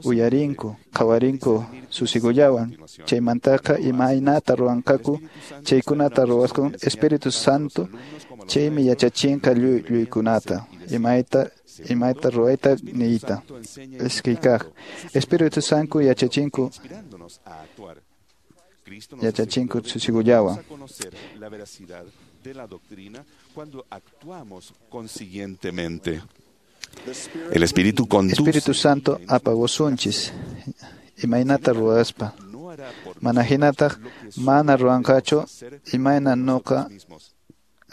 uyarinku qhawarinku susigullawan chaymantaqa imaynata ruwanqaku chaykunata ruwasqan Espíritu Santo chaymi yachachinqa lluy lluykunata imayta imayta ruwayta niyta iskay kaq Espíritu Santo yachachinku yachachinku susigullawan. De la doctrina cuando actuamos consiguientemente. El Espíritu conduce. Espíritu Santo apawasunchis imaynata ruwaspa mana hinataq mana ruwanqachu imayna noqa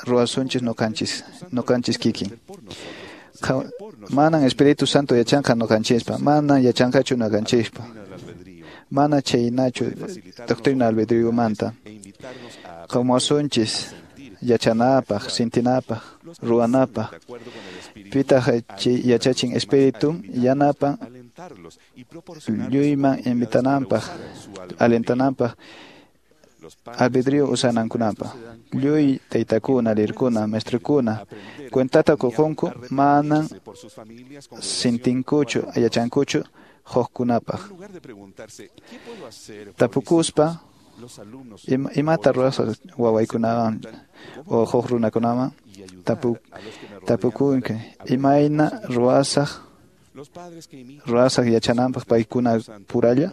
ruwasunchis noqanchis noqanchis kikin. Manan Espíritu Santo yachanqa noqanchispa manan yachanqachu noqanchispa mana chaynachu doctrina albedríomanta qhawasunchis yachanapaq sintinapaq ruwanapaq pitaq chay yachachin espíritu yanapan lluyman invitananpaq alentananpaq albedrío usanankunapaq lluy taytakuna lirkuna maestrokuna cuentata qukunku manan sintinkuchu yachankuchu Hukkunapaq. Tapukuspa ima, imata ruwasaq wawaykunawan o huk runakunawan tapu, tapukunki imayna ruwasaq ruwasaq yachananpaq paykuna puralla.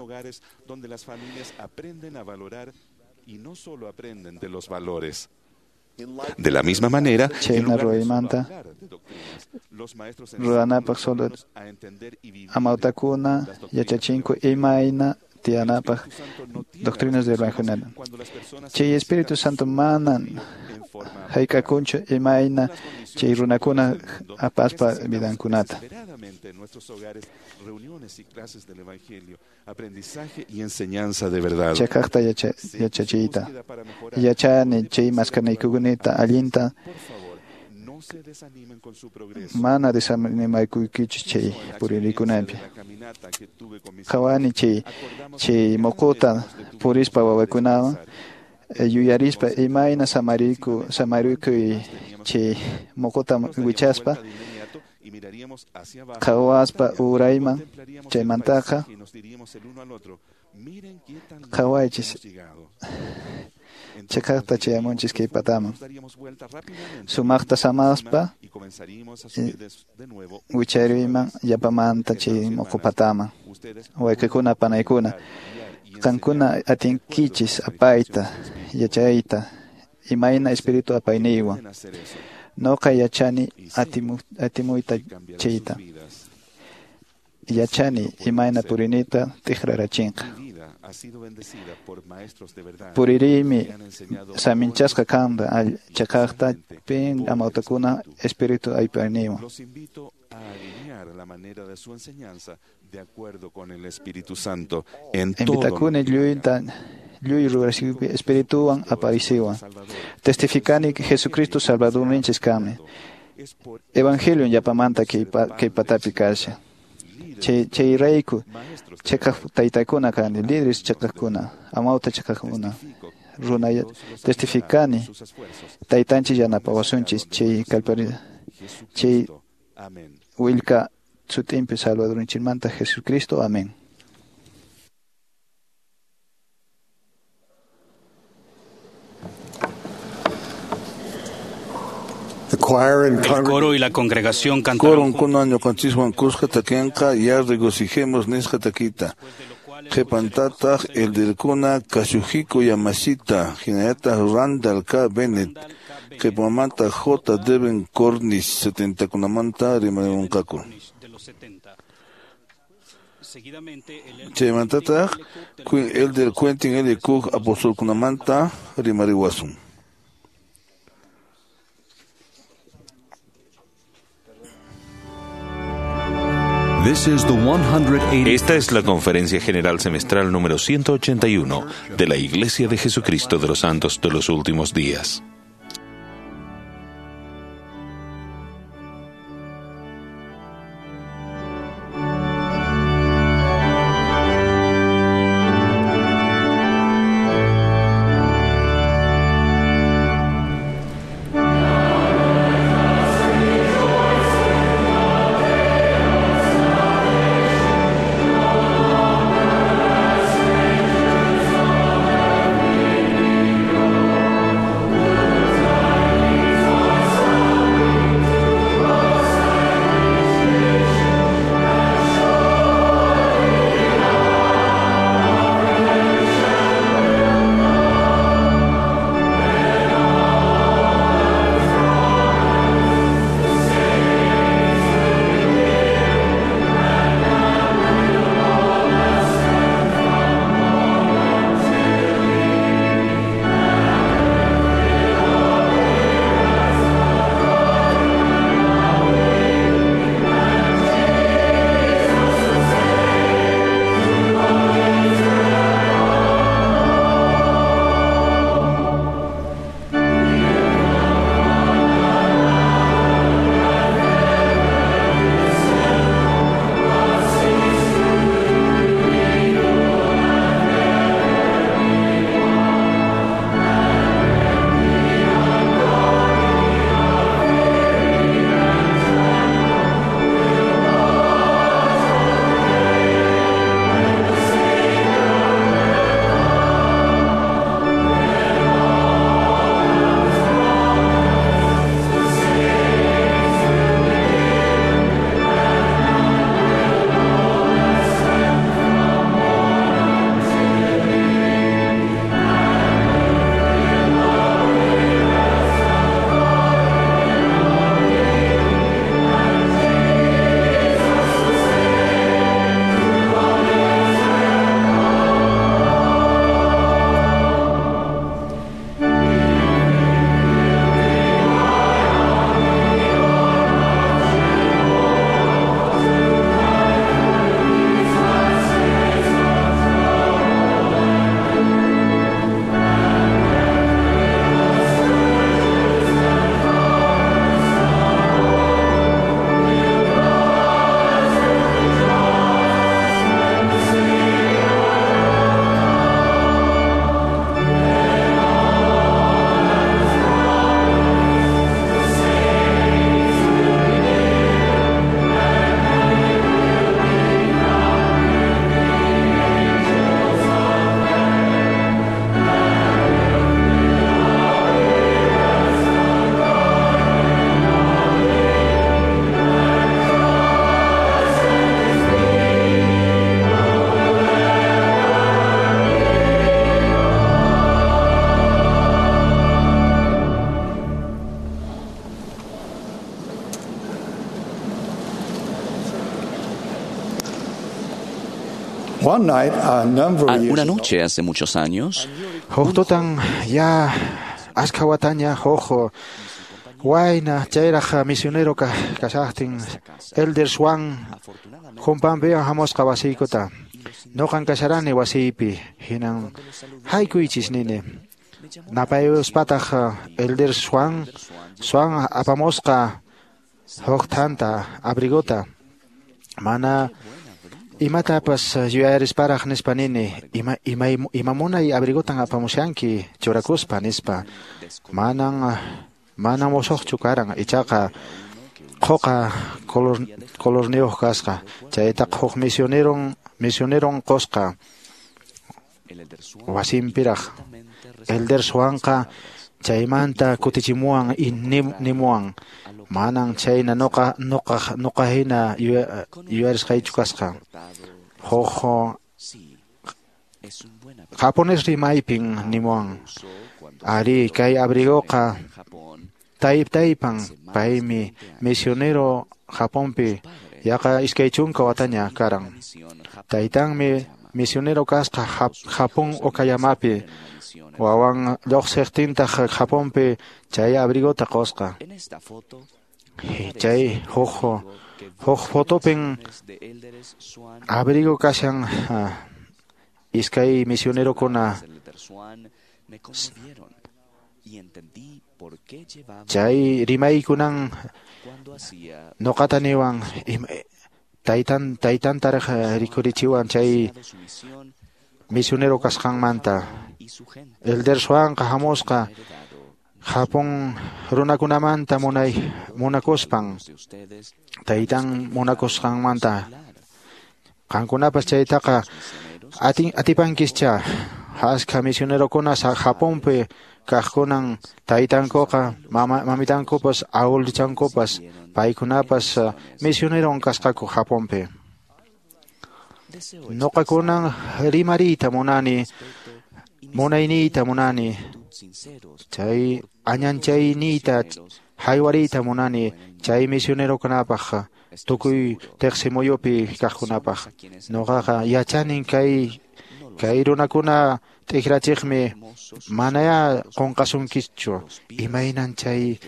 De la misma manera, chayna ruwaymanta ruwanapaq solo amawtakuna yachachinku imayna tiyanapaq doctrinas del Evangelio. Chay Espíritu Santo manan hayk'akunchu imayna chay runakuna apaspa vidankunata. Chakaqta yachachiyta yachani chay maskanaykukunata allinta mana desanimaykuykichu chay puririkunapi. Qhawani chay chay muquta purispa wawakunawan yuyarispa imayna samariku samarikuy chay muquta wichaspa qhawaspa urayman chaymantaqa qhawaychis chakaqta chayamunchis kay pataman sumaqta samaspa wichariyman yapamanta chay muqu pataman. Wayqikuna panaykuna qankuna atinkichis apayta yachayta imayna espíritu apayniywan. Noqa yachani atimu, atimuyta chayta yachani imayna purinita tikrarachinqa. Puririymi saminchasqa kanqa chakaqta pin amawtakuna espíritu aypayniwan. Invitakuni lluyta lluy rurasiypi espirituwan aparisiwan. Testificani Jesucristo Salvadorninchis kanmi. Evangelion yapamanta kay patapi kashan. Chay chayrayku chakaq taytakuna kani líderes chakaqkuna amawta chakaqkuna runa testificani taytanchis yanapawasunchis chay kallpari chay willka sutinpi Salvadorninchikmanta Jesucristo. Amén. El coro y la congregación cantaron Coron ñuqanchiswan kuska takinqa ya regocijemos nisqa takita. Qhipantataq elderkuna Kazuhiko Yamashita, hinallataq Randall K. Bennett, qhipamanta J. Devin Cornish setentakunamanta rimarimunqaku. Chaymantataq Elder Quentin L. Cook apostolkunamanta rimariwasun. Esta es la Conferencia General Semestral número ciento ochenta y uno de la Iglesia de Jesucristo de los Santos de los Últimos Días. Amen. Una noche hace muchos años, Huk tutan ya askha wataña huk wayna chayraq misionero kashaqtin Elder Swan Jumpampiwan hamusqa wasiykuta. Noqan kasharani wasiypi hinan haykuychis nini. Napayuspataq Elder Swan Swan apamusqa huk thanta abrigota. Mana imatapas yuyarisparaq nispa nini ima ima ima munay abrigotan apamushanki churakuspa nispa. Manan manan musuqchu karan ichaqa quqa color colorniyuq kasqa. Chaytaqa huk misioneron misioneron qusqa wasinpiraq. Elder Swanqa chaymanta kutichimuwan nimuwan. Manan chayna noqa noqa noqa hina yuyarisqaychu kasqa. Huk japonés rimaypin nimuwan. Ari kay abrigoqa tayp taypan paymi misionero Japonpi yaqa iskay chunka wataña karan. Taytanmi misionero kasqa Japón Okayamapi. Wawan lluqsiqtintaq Japonpi chay abrigota qusqa. Chay huk huk fotopin abrigo kashan iskay misionerokuna. Chay rimaykunan noqata niwan taytan taytantaraq rikurichiwan chay misionero kasqanmanta. Elder Swanqa hamusqa Japón runakunamanta munay munakuspan taytan munakusqanmanta. Qankunapas chaytaqa atin atipankischa. Askha misionerokuna Japonpi kaqkunan taytankuqa mama mamitankupas awulichankupas paykunapas misioneron kasqaku Japonpi. Noqakunan rimariyta munani munayniyta munani chay añanchayniyta haywariyta munani chay misionerokunapaq tukuy tiqsimuyupi kaqkunapaq. Noqaqa yachanin kay kay runakuna t'ikrachiqmi manaya qunqasunkichu imaynan chay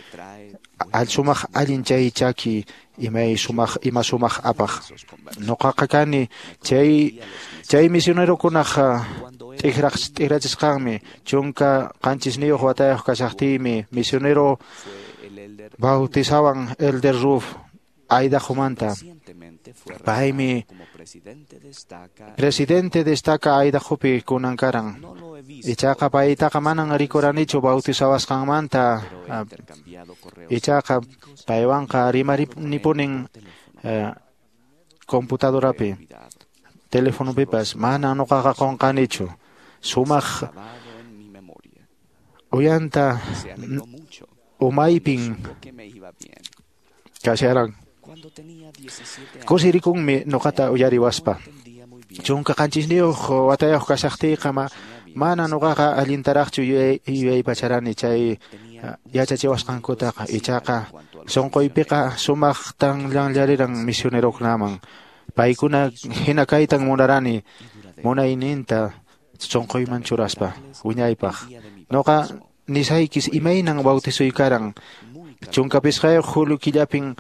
sumaq allin chay chaki imay sumaq ima sumaq apaq. Noqaqa kani chay chay misionerokunaq t'ikraq t'ikrachisqanmi chunka qanchisniyuq watayuq kashaqtiymi misionero bautizawan Elder Ruf Idaho-manta. Paymi presidente destaca Idahopi kunan karan. Ichaqa paytaqa manan rikuranichu bautizawasqanmanta. Ichaqa paywanqa rimarinipunin computadorapi telefonopipas mana noqaqa qunqanichu. Sumaq uyanta umaypin kasharan. Kusirikunmi noqata uyariwaspa. Chunka qanchisniyuq watayuq kashaqtiyqa mana noqaqa allintaraqchu yuyaypacharani chay yachachiwasqankutaqa. Ichaqa sunquypiqa sumaqtan llanllariran misionerokunaman. Paykuna hina kaytan munarani munayninta sunquyman churaspa wiñaypaq. Noqa nisaykis imaynan bautizoy karan. Chunka pisqayuq julio killapin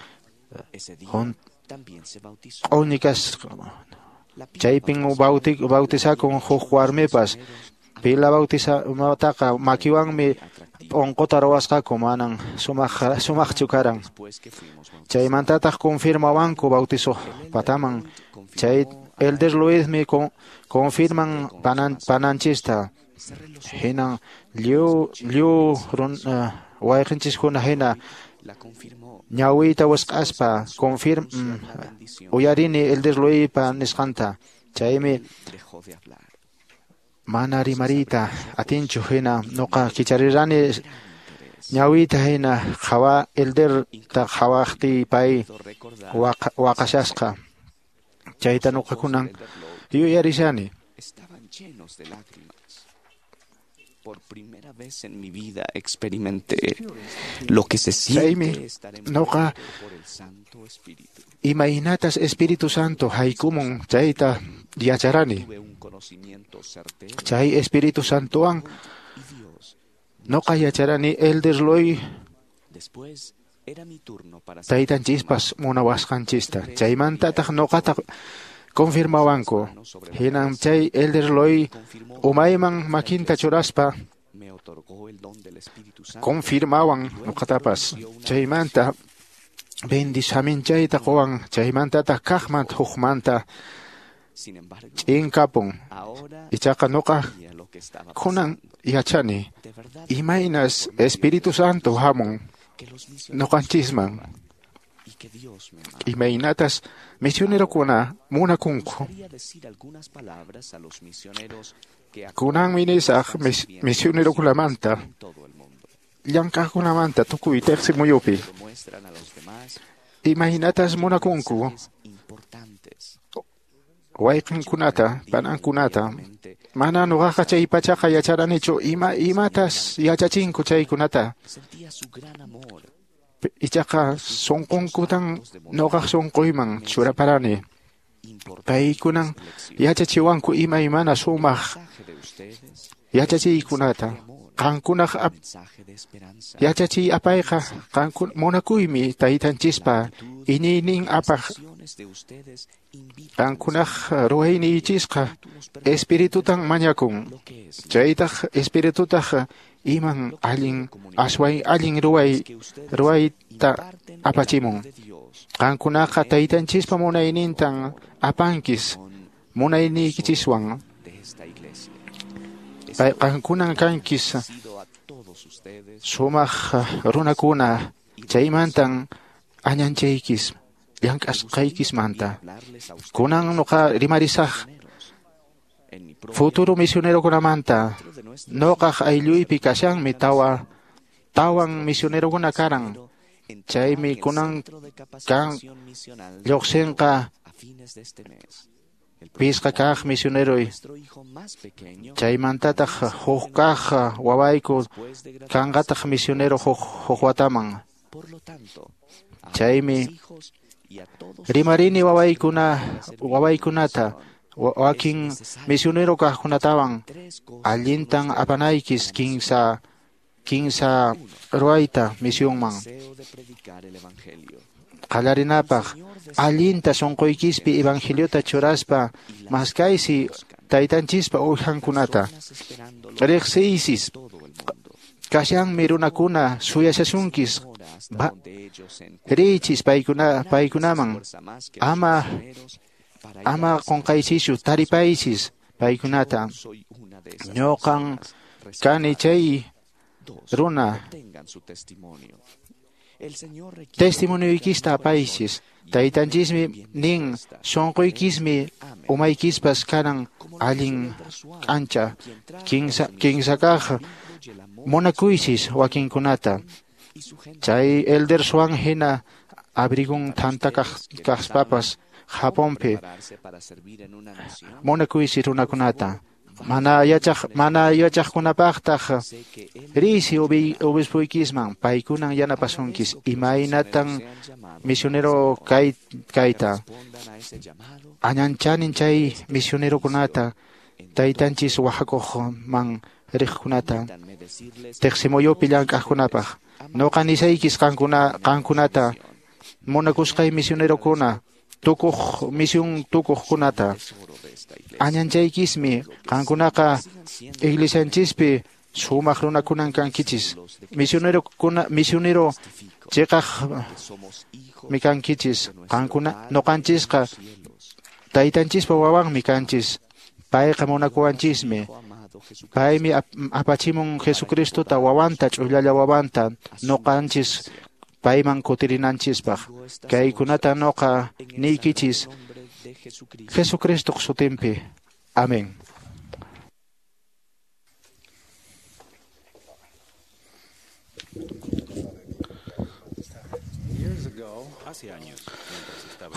q'uñikas chaypin bautizakun huk warmipas. Pila bautizamataqa makiwanmi p'unquta ruwasqaku manan sumaq sumaqchu karan. Chaymantataq confirmawanku bautizo pataman. Chay Elder Luismi confirman panan pananchista. Hinan lliw lliw wayqinchiskuna hina ñawiyta wisq'aspa confirm uyarini Elder Luispa nisqanta. Chaymi mana rimariyta atinchu hina noqa kicharirani ñawiyta hina qhawa Elderta qhawaqtiy pay waqashasqa. Chayta noqa kunan yuyarishani. Por primera vez en mi vida experimenté lo que se siente estar noqa por el Santo Espíritu. Imaynatas Espíritu Santo haykumun chayta yacharani. Chay Espíritu Santowan noqa yacharani Elder Loy taytanchispas munawasqanchista. Chaymantataq noqata confirmawanku. Hinan chay Elder Loy umayman makinta churaspa confirmawan noqatapas. Chaymanta bendisaminchayta qowan, chaymantataq kaqmanta hukmanta ch'inkapun. Ichaqa noqa kunan yachani imaynas Espíritu Santo hamun noqanchisman, imaynatas misionerokuna munakunku. Kunanmi nisaq misionerokunamanta, llank'aqkunamanta tukuy teqsimuyupi. Imaynatas munakunku wayqinkunata, panankunata. Mana noqaqa chay pachaqa yacharanichu ima imatas yachachinku chaykunata. Ichaqa sunqunkutan noqaq sunquyman churaparani. Paykunan yachachiwanku imaymana sumaq yachachiykunata. Qankunaq yachachiy apayqa qankun munakuymi taytanchispa iñiynin apaq. Qankunaq ruwayniychisqa espiritutan mañakun. Chaytaq espiritutaq iman allin asway allin ruway ruwayta apachimun. Qankunaqa taytanchispa munaynintan apankis munayniykichiswan. Qankunan kankis sumaq runakuna, chaymantan añanchaykis llank'asqaykismanta. Kunan noqa rimarisaq futuro misionerokunamanta. Noqaq aylluypi kashanmi tawa tawan misionerokuna karan. Chaymi kunan kan lluqsinqa pisqa kaq misioneroy. Chaymantataq huk kaq wawayku kanqataq misionero huk huk wataman. Chaymi rimarini wawaykuna wawaykunata wakin misionero kaqkunatawan allintan apanaykis kinsa kinsa ruwayta misionman. Qallarinapaq allinta sunquykispi evangeliota churaspa maskaysi taytanchispa uwjankunata. Riqsiysis kashanmi runakuna suyashasunkis. Riychis paykuna paykunaman ama ama qunqaychischu taripaychis paykunata. Ñuqan kani chay runa testimonioykista apaychis. Taytanchismi nin sunquykismi umaykispas kanan allin k'ancha. Kinsa kinsakaq munakuychis wakinkunata. Chay Elder Swan hina abrigun thanta kaqspapas Japonpi munakuysi runakunata. Mana yachaq mana yachaqkunapaqtaq riysi obispuykiman paykunan yanapasunkis imaynatan misionero kay kayta. Añanchanin chay misionerokunata taytanchis wahakuqman riqkunata teqsimuyupi llank'aqkunapaq. Noqa nisaykis qankuna qankunata munakusqay misionerokuna tukuq misión tukuqkunata. Añanchaykismi qankunaqa iglesianchispi sumaq runakunan kankichis. Misionerokuna misionero chiqaq mi kankichis. Qankuna noqanchisqa taytanchispa wawanmi kanchis. Payqa munakuwanchismi. Paymi apachimun Jesucristota wawanta ch'ullalla wawanta noqanchis payman kutirinanchispaq. Kaykunata noqa niykichis Jesucristoq sutinpi. Amén.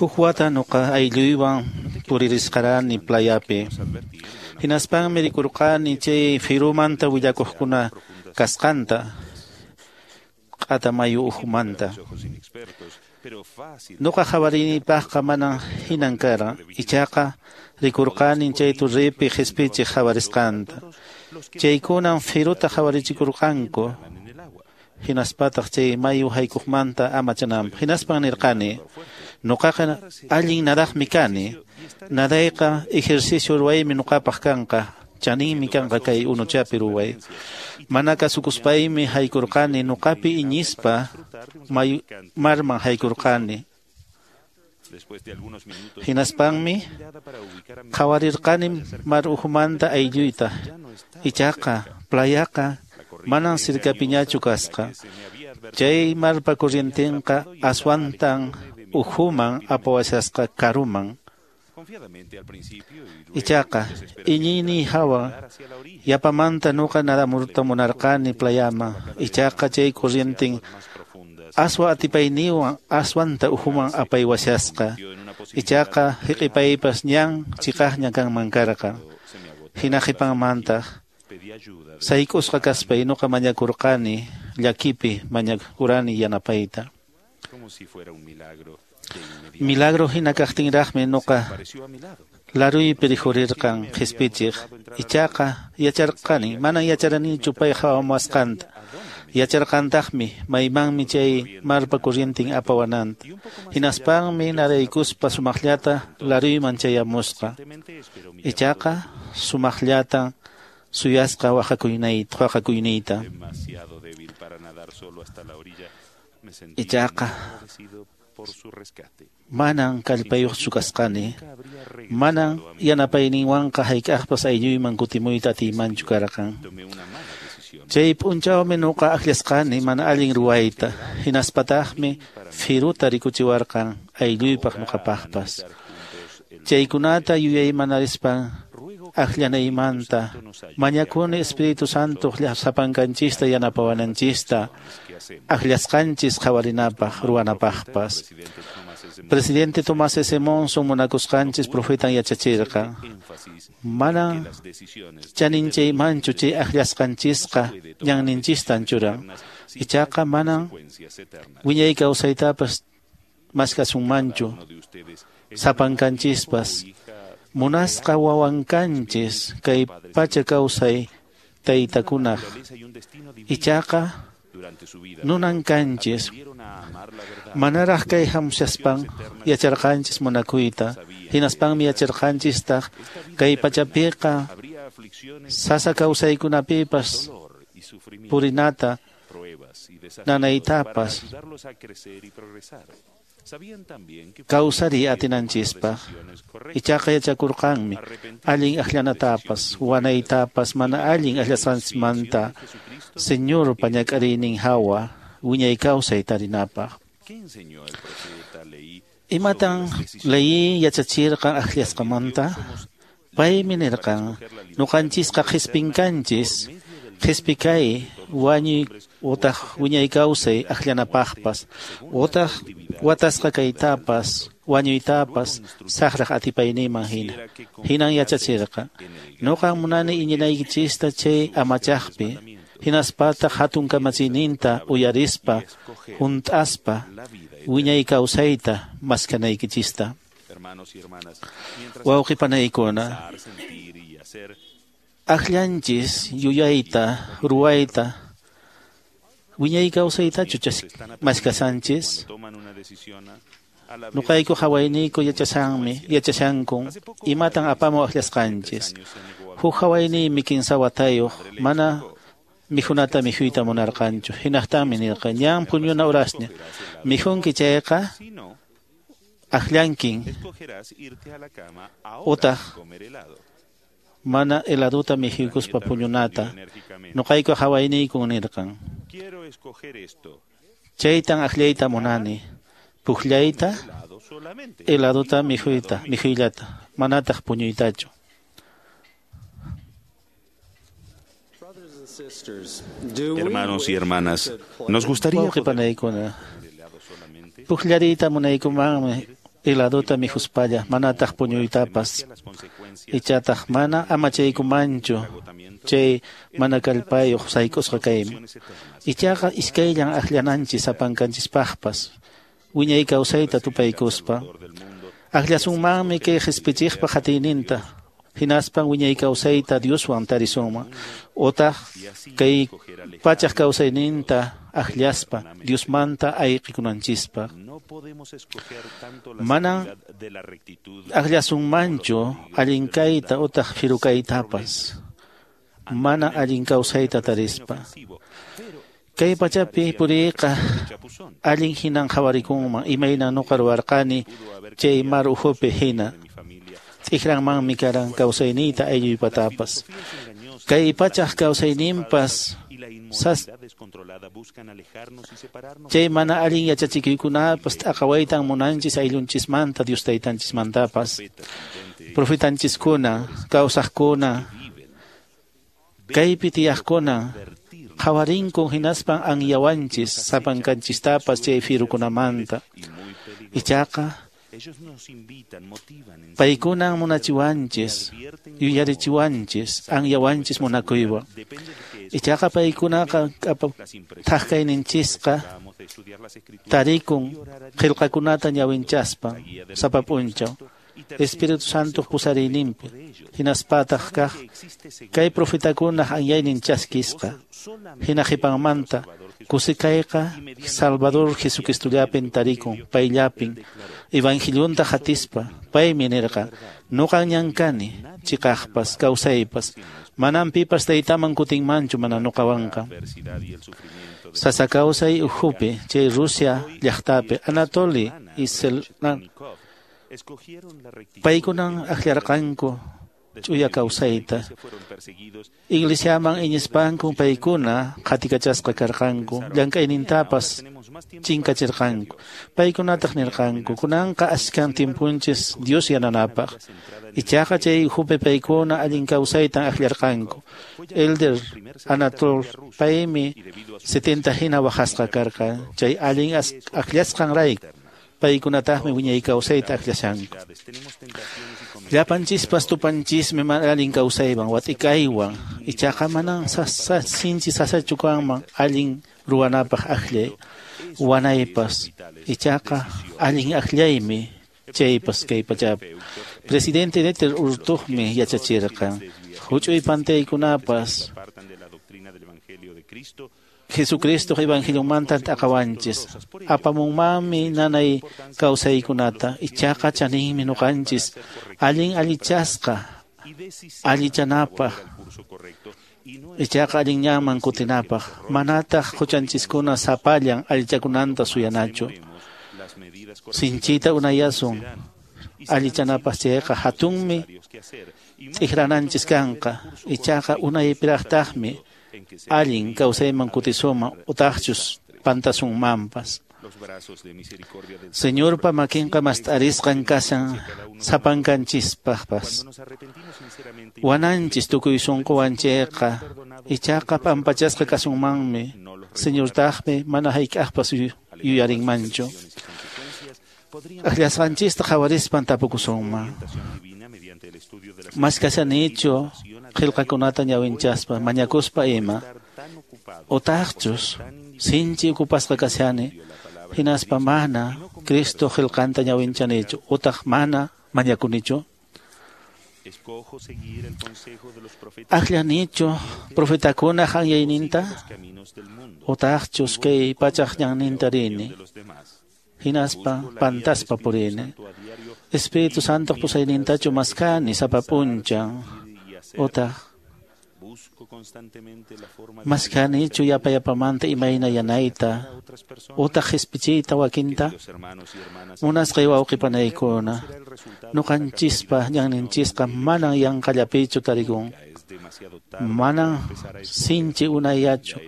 Huk wata nuqa aylluywan puririsqarani playapi. Hinaspanmi rikurqani chay firumanta willakuqkuna kasqanta q'ata mayu ukhumanta. Nuqa qhawarinipaqqa manan hinan karan, ichaqa rikurqanin chay turripi qhispichiq qhawarisqanta. Chaykunan firuta qhawarichikurqanku, hinaspataq chay mayu haykuqmanta amachananpaq. Hinaspan nirqani, nuqaqa allin nadaqmi kani, nadayqa ejercicio ruwaymi nuqapaq kanqa, chaninmi kanqa kay unuchapi ruway. Mana kasukuspaymi haykurqani, nuqapi iñispa mayu marman haykurqani. Hinaspanmi qhawarirqani mar ukhumanta aylluyta, ichaqa playaqa manan sirkapiñachu kasqa. Chay marpa corrientenqa aswantan ukhuman apawashasqa karuman. Ichaqa iñiyniy hawa yapamanta nuqa nadamurta munarqani playaman, ichaqa chay corrienten aswa atipayniwan aswanta ukhuman apaywashasqa. Ichaqa hiq'ipaypas ñan chiqaqña kanman karqa. Hina qhipanmantaq sayk'usqa kaspay nuqa mañakurqani, llakipi mañakurani yanapayta. Milagro hina kaqtinraqmi nuqa laruypi rikhurirqan qhispichiq, ichaqa yacharqani, manan yacharanichu pay qhawamuwasqanta. Yacharqantaqmi maymanmi chay marpa corrienten apawananta. Hinaspanmi naraykuspa sumaqllata laruyman chayamusqa. Ichaqa sumaqllata suyasqa waqakuynayta, waqakuyniyta. Ichaqa manan kallpayuqchu kasqani, manan yanapayninwanqa hayk'aqpas aylluyman kutimuyta atiymanchu karqan. Chay p'unchawmi nuqa akllasqani mana allin ruwayta, hinaspataqmi firuta rikuchiwarqan aylluypaq nuqapaqpas. Chaykunata yuyaymanarispan akllanaymanta mañakuni Espíritu Santo sapankanchista yanapawananchista akllasqanchis qhawarinapaq ruwanapaqpas. Presidente Tomás S. Monson munakusqanchis profetan yachachirqan, manan chaninchaymanchu chay akllasqanchisqa ñanninchistan churan, ichaqa manan wiñay kawsaytapas maskasunmanchu sapankanchispas. Munasqa wawankanchis kay pacha kawsay taytakunaq, ichaqa nunan kanchis manaraq kay hamushaspan yacharqanchis munakuyta, hinaspanmi yacharqanchistaq kay pachapiqa sasa kawsaykunapipas purinata nanaytapas kawsariy atinanchispaq. Ichaqa yachakurqanmi allin akllanatapas wanaytapas mana allin akllasqanmanta Señorpa ñak'ariynin hawa wiñay kawsay tarinapaq. Imatan Lehi yachachirqan akllasqamanta? Paymi nirqan, nuqanchisqa qhispinkanchis, qhispi kay wañuy utaq wiñay kawsay akllanapaqpas, utaq watasqa kaytapas, wañuytapas saqraq atipayninman hina. Hinan yachachirqa, nuqan munani iñinaykichista chay amachaqpi, hinaspataq hatun kamachiyninta uyarispa, hunt'aspa wiñay kawsayta maskanaykichista. Wawqi panaykuna, akllanchis yuyayta, ruwayta, wiñay kawsaytachu maskasanchis? Nuqayku hawayniyku yachashanmi, yachashankun imatan apamu akllasqanchis. Huk hawayniymi kinsa watayuq mana mikhunata mikhuyta munarqanchu. Hinaqtanmi nirqan, ñan puñuna urasña, mikhunki chayqa akllankin utaq mana heladuta mikhuykuspa puñunata. Nuqayku hawayniykun nirqan, chaytan akllayta munani, puqllayta, heladuta mikhuyta, mikhuyllata, manataq puñuytachu. Hermanos y hermanas, nos gustaría Wawqi panaykuna, puqllariyta munaykumanmi heladuta mikhuspalla, manataq puñuytapas. Ichataq mana amachaykumanchu chay mana kallpayuq sayk'usqa kayman. Ichaqa iskayllan akllananchis sapankanchispaqpas wiñay kawsayta tupaykuspa. Akllasunmanmi kay qispichiqpa qatiyninta, hinaspan wiñay kawsayta Dioswan tarisunman, utaq kay pachaq kawsayninta akllaspa Diosmanta ayqikunanchispaq. Manan akllasunmanchu allin kayta utaq firu kaytapas, mana allin kawsayta tarispa. Kay pachapi puriyqa allin hinan qhawarikunman, imayna nuqa ruwarqani chay mar ukhupi hina. T'ikranmanmi karan kawsayniyta aylluypatapas. Kay pachaq kawsayninpas sas chay mana allin yachachikuykunapas t'aqawaytan munanchis ayllunchismanta Dios taytanchismantapas. Profetanchiskuna, kawsaqkuna, kaypi tiyaqkuna qhawarinkun hinaspan anyawanchis sapankanchistapas chay firukunamanta. Ichaqa paykunan munachiwanchis, yuyarichiwanchis, anyawanchis munakuywan. Ichaqa paykunaqa thaqkayninchisqa tarikun qillqakunata ñawinchaspa sapa p'unchaw Espíritu Santo pusariyninpi, hinaspataq kaq kay profetakunaq anyaynin chaskisqa, hina qhipanmanta kusikayqa Salvador Jesucristollapin tarikun, payllapin evangelionta hatispa, paymi nirqa, nuqan ñan kani, chiqaqpas, kawsaypas, manan pipas taytaman kutinmanchu mana nuqawanqa. Sasa kawsay ukhupi, chay Rusia llaqtapi, Anatoly y Selna paykunan akllarqanku ch'uya kawsayta. Iglesiaman iñispanku paykuna qatikachasqa karqanku, llank'aynintapas chinkachirqanku. Paykunataq nirqanku, kunanqa ashkan timpunchis Dios yananapaq. Ichaqa chay ukhupi paykuna allin kawsaytan akllarqanku. Elder Anatol paymi setenta hina waqasqa karqa, chay allin akllasqanrayku. Paykunataqmi wiñay kawsayta aklashanku. Llapanchispas tupanchismi mana allin kawsaywan, watikaywan. Ichaqa manan sasa, sinchi sasachu kanman allin ruwanapaq akllay, wanaypas. Ichaqa allin akllaymi chaypas kay pachapi. Presidente Neter Urtuqmi yachachirqan, huch'uy pantaykunapas Jesucristo evangelionmanta t'aqawanchis, apamunmanmi nanay kawsaykunata, ichaqa chaninmi nuqanchis allin allichasqa allichanapaq, ichaqa allin ñanman kutinapaq, manataq huchanchiskuna sapallan allichakunanta suyanachu. Sinchita unayasun allichanapaq chayqa hatunmi t'ikrananchis kanqa, ichaqa unaypiraqtaqmi allin kawsayman kutisuma utaqchus pantasunmanpas. Señorpa makinqa mast'arisqan kashan sapankanchispaqpas. Wananchis tukuy sunquwan chayqa, ichaqa pampachasqa kasunmanmi, Señortaqmi mana hayk'aqpas yuyarinmanchu. Akllasqanchista qhawarispan tapukusunman. Maskashanichu qillqakunata ñawinchaspa, mañakuspa ima, utaqchus sinchi ukupasqa kashani, hinaspa mana Cristo qillqanta ñawinchanichu, utaq mana mañakunichu. Akllanichu profetakunaq anyayninta, utaqchus kay pachaq ñanninta rini, hinaspa pantaspa purini. Espíritu Santo pusaynintachu maskani sapa p'unchaw, utaq maskanichu yapa yapamanta imayna yanayta, utaq qispichiyta wakinta. Munasqay wawqipanaykuna, nuqanchispa ñanninchisqa manan yanqallapichu tarikun, manan sinchi unayachu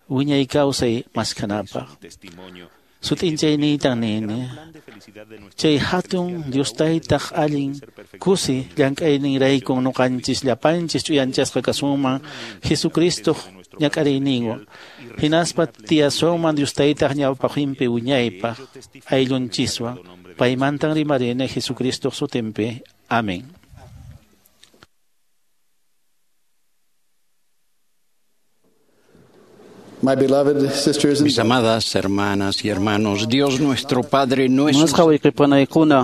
wiñay kawsay maskanapaq. Sut'inchayniytan nini, chay hatun Dios taytaq allin kusi llank'ayninraykun nuqanchis llapanchis ch'uyanchasqa kasunman Jesucristoq ñak'ariyninwan, hinaspa tiyasunman Dios taytaq ñawpaqinpi wiñaypaq ayllunchiswan. Paymantan rimarini Jesucristoq sutinpi. Amén. My beloved sisters and Mis amadas hermanas y hermanos, Dios nuestro Padre no es Munasqa wayqipanaykuna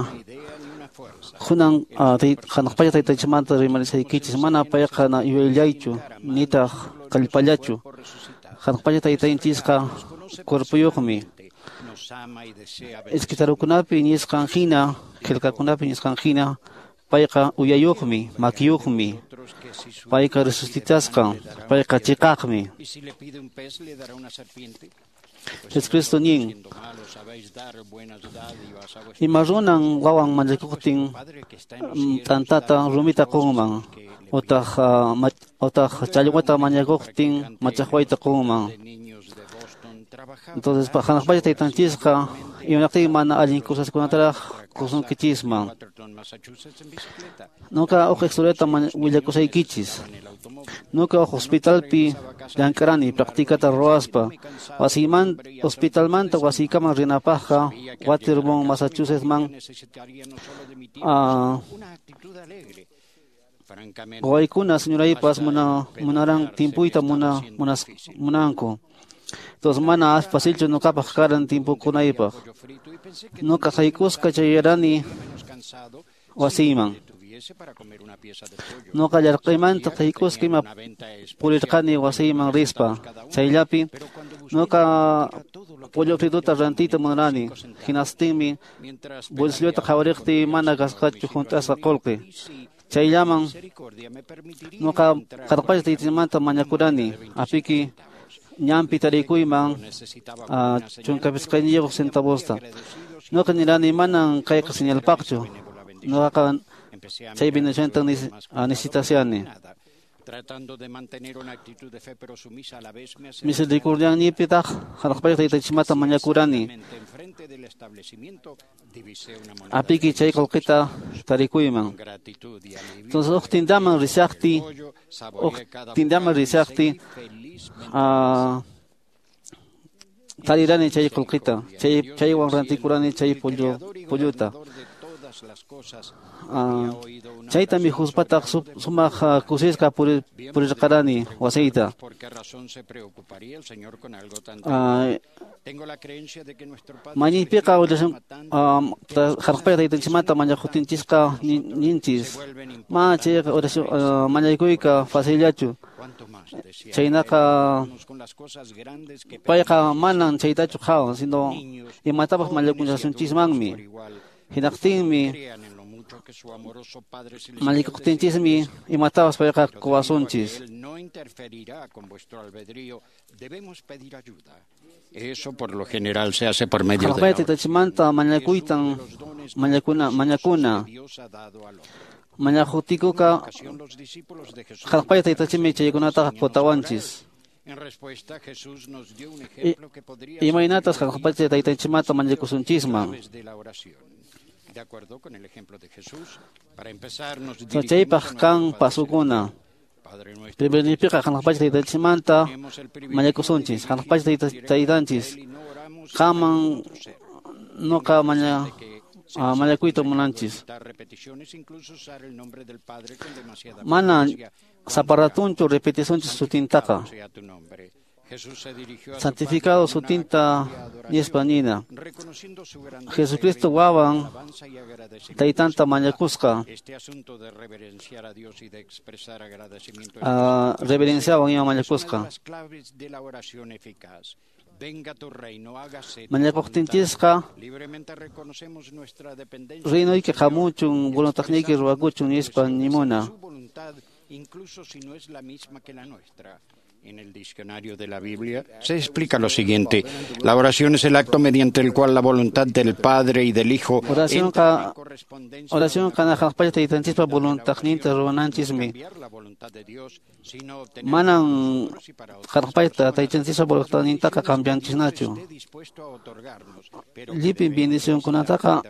kunan hanaq pacha taytanchikmanta rimarisaykichis mana payqa yuyayllachu nitaq kallpallachu. Hanaq pacha taytanchisqa cuerpuyuqmi. Escriturukunapi nisqan hina, qillqakunapi nisqan hina, payqa uyayuqmi, makiyuqmi, payqa resucitasqan, payqa chiqaqmi. Jesucristo nin, ima runan wawan mañakuqtin t'antata rumita qunman, utaq utaq challwata mañakuqtin machaqwayta qunman. Entonces, hanaq pacha taytanchisqa imanaqtin mana allin cosaskunataraq qusunkichisman. Nuqa huk historiata willakusaykichis. Nuqa huk hospitalpi llank'arani practicata ruwaspa. Wasiyman hospitalmanta wasiykaman rinapaqqa Waterbourne, Massachusettsman wawaykuna señoraypas muna munaran timpuyta muna munas munanku. Entonces mana facilchu nuqapaq karan timpukunaypaq. Nuqa haykusqa chayarani wasiyman. Nuqa llarqaymanta haykusqa ima purirqani wasiyman rispa. Chayllapi nuqa pollo frituta rantiyta munarani. Hinastinmi bolsilluta qhawariqtiy mana kasqachu hunt'asqa qullqi. Chayllaman nuqa qarqacha taytaymanta mañakurani. Apiki ñanpi tarikuyman chunka pisqayniyuq centavosta. Nuqa nirani manan kayqa señalpaqchu. Nuqaqa chay bendicionta necesitasiani. Misericordianipitaq hanaq pacha taytanchikmanta mañakurani. Apiki chay qullqita tarikuyman. Entonces huk tindaman risaqti, huk tindaman risaqti tarirani chay qullqita, chay chaywan rantikurani chay pollo polluta. Chayta mikhuspataj sumaq kusisqa purirqarani wasiyta. Mañaypiqa hanaq pacha taytanchikmanta mañakuqtinchisqa ninchis mana chayqa oración mañaykuyqa facillachu. Chaynaqa payqa manan chaytachu qhawan sino imatapas mañakullasunchismanmi. Hinaqtinmi mañakuqtinchismi imatapas payqa quwasunchis. Eso por lo general se hace por medio de hanaq pacha taytanchikmanta mañakuytan mañakuna mañakuna mañakuqtiykuqa hanaq pacha taytanchikmi chaykunataqa qutawanchis. Imaynatas hanaq pacha taytanchikmanta mañakusunchisman. Chaypaq kan pasukuna. Primernipiqa hanaq pacha taytanchikmanta mañakusunchis. Hanaq pacha taytanchis qaman nuqa maña mañakuyta munanchis. Mana saparatunchu repetisunchis sutintaqa. Santificado sutinta nispa nina. Jesucristo wawan taytanta mañakusqa. Reverenciawan ima mañakusqa. Mañakuqtinchisqa reinoyki hamuchun voluntadniyki ruwakuchun nispa nimuna. En el diccionario de la Biblia se explica lo siguiente: la oración es el acto mediante el cual la voluntad del Padre y del Hijo oración ka oración kana hanaq pacha taytanchispa voluntadninta ruwananchismi. Manan hanaq pacha taytanchispa voluntadnintaqa cambianchisnachu. Llipin bendicionkunataqa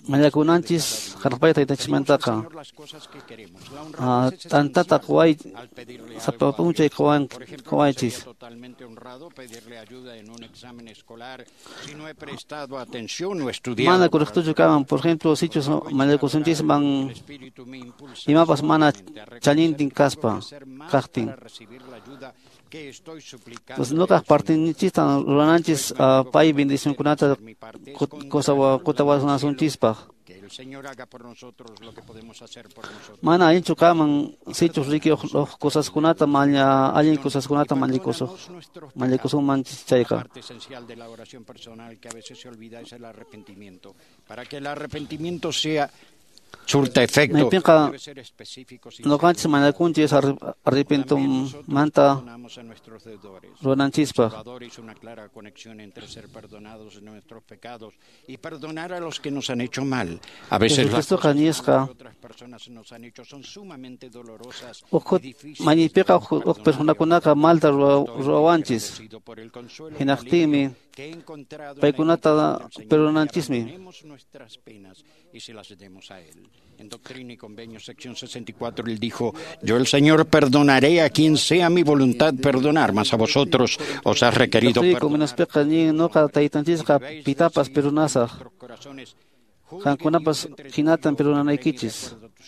Mañakunanchis hanaq pacha taytanchikmantaqa t'antata quway sapa p'unchay quwaychis. Mana correctochu kanman, por ejemplo, sichus mañakusunchisman imapas mana chanintin kaspa kaqtin. Entonces nuqaq partinchista rurananchis pay bendicionkunata qutawasunanchispaq. Mana allinchu kanman sichus riki huk cosaskunata maña allin cosaskunata mañakusuq mañakusunmanchis chayqa. Surta efecto. Maypiqa nuqanchis mañakunchis arrepentumanta rurananchispaq. Jesucristoqa nisqa huk maypiqa huk personakunaqa malta ruwawanchis hinaqtinmi paykunata perdonanchismi. En Doctrina y Convenios, sección sesenta y cuatro, él dijo: Yo el Señor perdonaré a quien sea mi voluntad perdonar, mas a vosotros os ha requerido perdonar.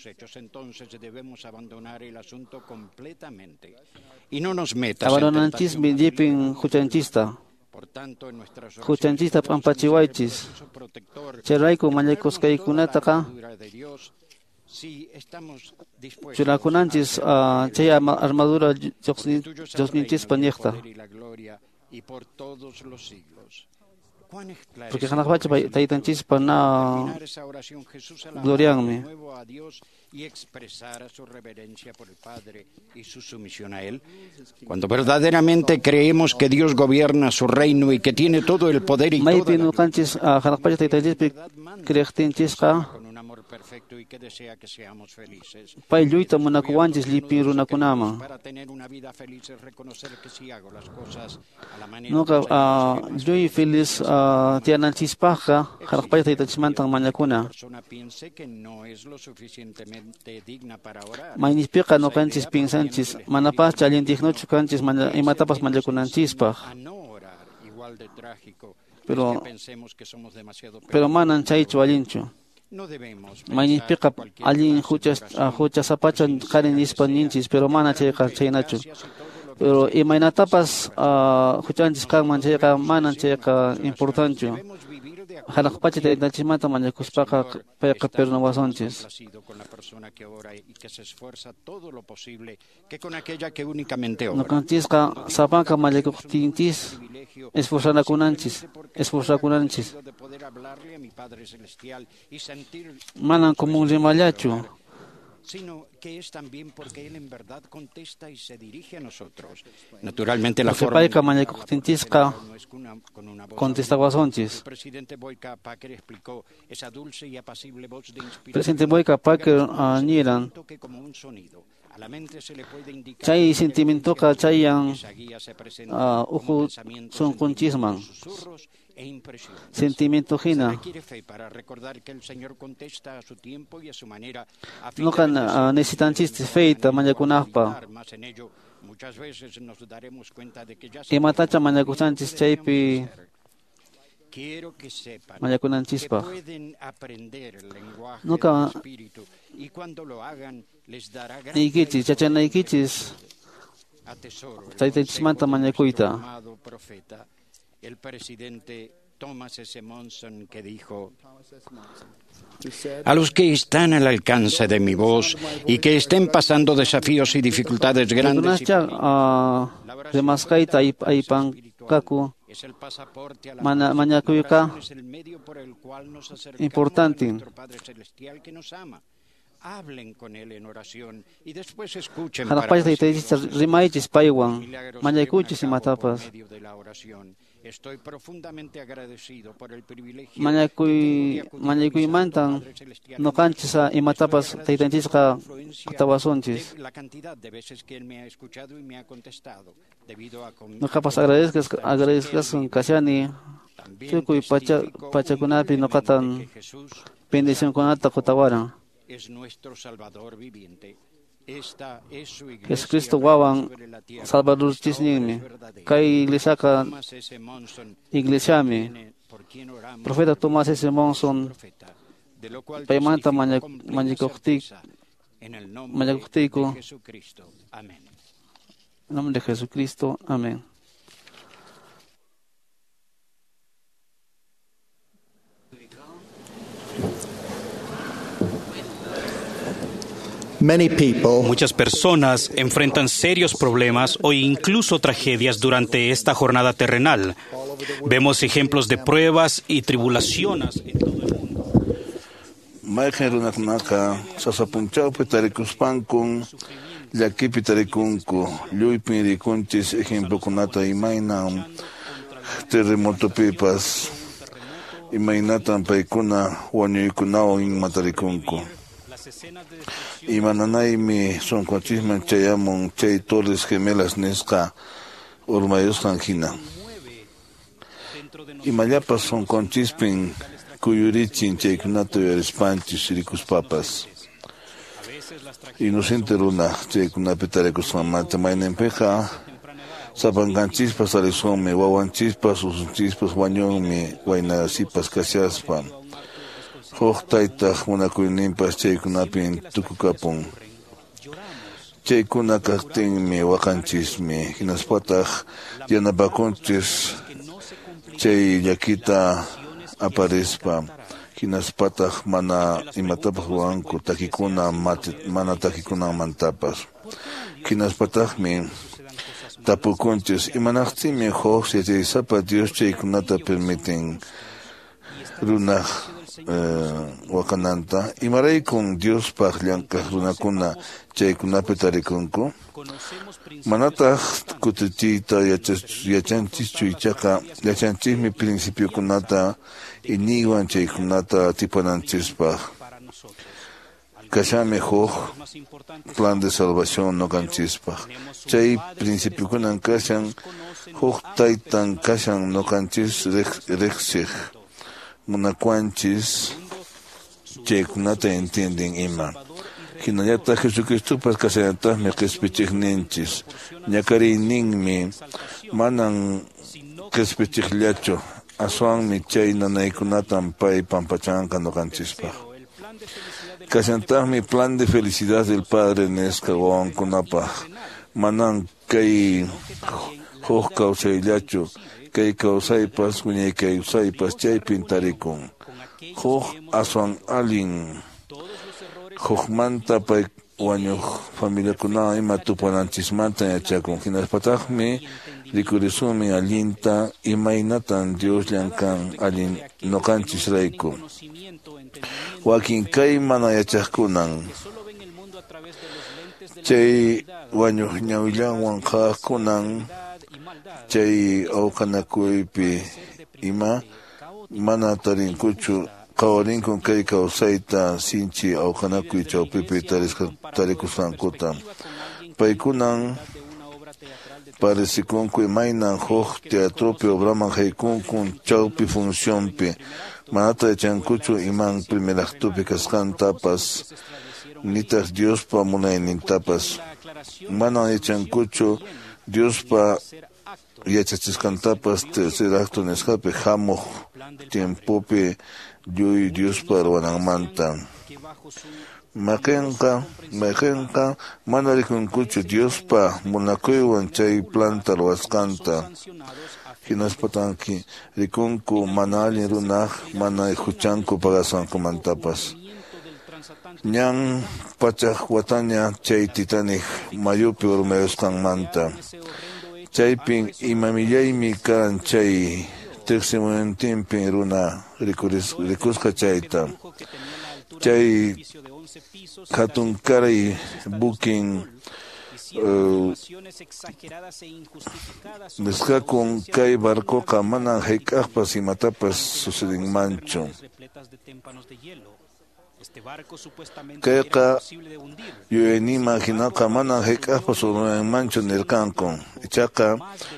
Entonces debemos abandonar el asunto completamente y no nos metas en tentación. Por tanto, en nuestras Huchanchista p'ampachiwaychis. Chayrayku mañakusqaykunataqa churakunanchis chay armadura Diosninchispa niqta. Porque hanaq pacha taytanchispa na glorianmi. Y expresar su reverencia por el Padre y su sumisión a Él. Cuando verdaderamente creemos que Dios gobierna su reino y que tiene todo el poder y toda la gloria, con un amor perfecto y que desea que seamos felices. Pay lluyta munakuwanchis llipin runakunaman. Para tener una vida feliz es reconocer que si hago las cosas a la manera Nuqa lluy feliz tiyananchispaqqa hanaq pacha taytanchismantan mañakuna. persona piense que no es lo suficientemente digna para orar. Maynispiqa nuqanchis pinsanchis manapascha allin dignochu kanchis imatapas mañakunanchispaq. Pero pero manan chaychu allinchu. Maynispiqa allin huchas huchasapacha qari nispa ninchis, pero mana chayqa chaynachu. Pero imaynatapas huchanchis kanman chayqa manan chayqa importanchu. Hanaq pacha taytanchismanta mañakuspaqa payqa perdonawasunchis. Nuqanchisqa sapanka mañakuqtinchis esforzanakunanchis, esforzakunanchis. Manan común rimallachu. Sino que es también porque él en verdad contesta y se dirige a nosotros. Naturalmente la forma payqa mañakuqtinchisqa contestawasunchis. El presidente Boyka Packer explicó esa dulce y apacible voz de inspiración. Presidente Boyka Packer niran que como un sonido. A la mente se le puede indicar chay sentimientoqa chayan esa guía se presenta uhu sunqunchisman. Susurros e impresiones. Sentimiento hina. Se requiere fe para recordar que el Señor contesta a su tiempo y a su manera. A fin Nuqa de necesitanchis feyta mañakunaqpa. más en ello, muchas veces nos daremos cuenta de que ya Imatacha mañakusanchis chaypi Quiero que sepan que mañakunanchispaq. pueden aprender el lenguaje Nuqa del Espíritu y cuando lo hagan les dará gran niykichis, yachanaykichis atesoro el taytanchismanta consejo de mañakuyta. nuestro amado profeta, el presidente Thomas S. Monson, que dijo: A los que están al alcance de mi voz y que estén pasando desafíos y dificultades grandes y Kunascha rimasqayta aypanqaku es el pasaporte a la mana paz. mañakuyqa La oración es el medio por el cual nos acercamos a importante. nuestro Padre Celestial que nos ama. Hablen con Él en oración y después escuchen Hanaq para pacha recibir taytaychista los rimaychis paywan milagros se mañakuychis llevan a cabo por imatapas. medio de la oración. Estoy profundamente agradecido por el privilegio Mañakuy mañakuymantan nuqanchis imatapas taytanchisqa qutawasunchis. la cantidad de veces que Él me ha escuchado y me ha contestado debido a con Nuqapas agradezcas agradezcasun kashani Tukuy pacha pachakunapi noqatan bendicionkunata qutawaran. Jesucristo wawan Salvadorchisninmi. Kay iglesiaqa iglesiami. Profeta Tomás S. Monson paymanta mañakuqtiyku mañakuqtiyku. En nombre de Jesucristo. Amén. Muchas personas enfrentan serios problemas o incluso tragedias durante esta jornada terrenal. Vemos ejemplos de pruebas y tribulaciones en todo el mundo. Mayqin runakunaqa sasapunchawpi tarikuspankun llakipi tarikunku lluypin rikunchis ejemplokunata imaynan terremotopipas imaynatan paykuna wañuykunawan ima tarikunku. Imananaymi sunqunchisman chayamun chay Torres Gemelas nisqa urmayusqan hina. Imallapas sunqunchispin kuyurichin chaykunata uyarispanchis rikuspapas. Inocente runa chaykunapi tarikusqanmanta mayninpiqa sapankanchispas tarisunmi wawanchispas usunchispas wañunmi waynasipas kashaspa. Huk taytaq munakuyninpas chaykunapin tukukapun. Chaykuna kaqtinmi waqanchismi hinaspataq yanapakunchis chay llakita aparispa hinaspataq mana imatapas ruwanku takikuna mana takikunanmantapas. Hinaspataqmi tapukunchis imanaqtinmi huk yachaysapa Dios chaykunata permiten runaq waqananta imaraykun Diospaq llank'aq runakuna chaykunapi tarikunku manataq kutichiyta yachanchischu ichaqa yachanchismi principiokunata iñiywan chaykunata atipananchispaq kashanmi huk plan de salvación noqanchispaq chay principiokunan kashan huk taytan kashan noqanchis riqsiq munakuanchis chaykunata entienden ima. Hinallataq Jesucristopas kashallataqmi qispichiqninchis ñakariyninmi manan qispichiqllachu aswanmi chay nanaykunatan pay pampachanqa ñuqanchispaq. Kashantaqmi plan de felicidad del Padre nisqa wawankunapaq manan kay huk kawsayllachu kay kawsaypas wiñay kawsaypas chaypin tarikun huk aswan allin hukmanta pay wañuq familiakunawan ima tupananchismanta yachakun hinaspataqmi rikurisunmi allinta imaynatan Dios llankan allin ñuqanchisrayku wakin kay mana yachaqkunan chay wañuq ñawillanwan qhawaqkunan chay awqanakuypi ima mana tarinkuchu qhawarinkun kay kawsayta sinchi awqanakuy chawpipi tarikusqankuta paykunan parecikunku imaynan huk teatropi obraman haykunkun chawpi funcionpi manata yachankuchu iman primer actopi kasqantapas nitaq Diospa munaynintapas manan yachankuchu Diospa yachachisqantapas tercer acto nisqapi hamuq tiempopi lluy Diospa ruwananmanta. Mayqinqa mayqinqa mana rikunkuchu Diospa munakuywan chay planta ruwasqanta hinaspatanki rikunku mana allin runaq mana huchanku pagasqankumantapas. Ñan pachaq wataña chay Titanic mayupi urmayusqanmanta. Chaypin imamillaymi karan chay tiqsimuyuntinpin runa rikusqa chayta. Chay hatunkaray bukin uh, nisqakun kay barcoqa manan hayk'aqpas imatapas sucedinmanchu. Kayqa yuyayniyman hinaqa manan hayk'aqpas urmayanmanchu nirqanku. Ichaqa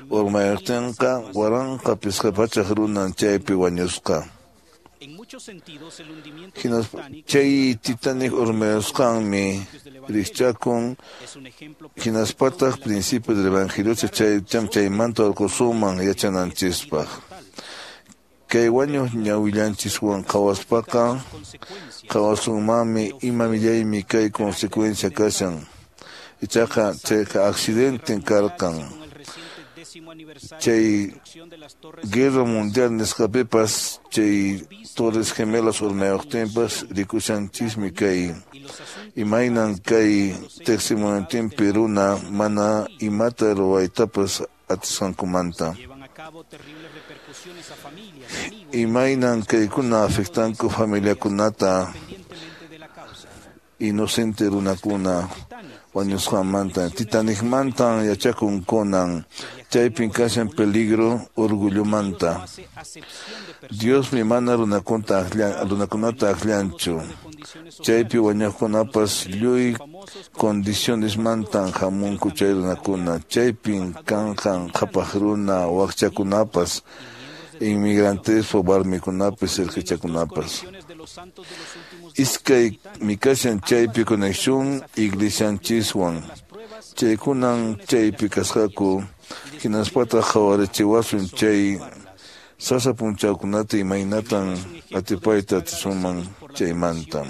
urmayuqtinqa waranqa pisqa pachak runan chaypi wañusqa. Hinaspa chay Titanic urmayusqanmi rikchakun hinaspataq principio del evangelio chay chaymanta urqusunman yachananchispaq. Kay wañuq ñawillanchiswan qhawaspaqa qhawasunmanmi ima millaymi kay consecuencia kashan. Ichaqa chayqa accidenten karqan. Chay Guerra Mundial nisqapipas chay Torres Gemelas urmayuqtinpas rikushanchismi kay imaynan kay teqsimuntinpi runa mana imata ruwaytapas atisqankumanta. Imaynan kaykuna afectanku familiakunata inocente runakuna wañusqanmanta. Titanicmantan yachakun kunan chaypin kashan peligro orgullomanta. Diosmi mana runakunata runakunata akllanchu. Chaypi wañuqkunapas lluy condicionesmantan hamunku chay runakuna. Chaypin kanqan qhapaq runa wakchakunapas inmigrantespa warmikunapis irqichakunapas. Iskay mikashan chaypi conexión iglesianchiswan. Chaykunan chaypi kasqaku hinaspataq qhawarichiwasun chay sasa punchawkunata imaynatan atipayta atisunman chaymanta.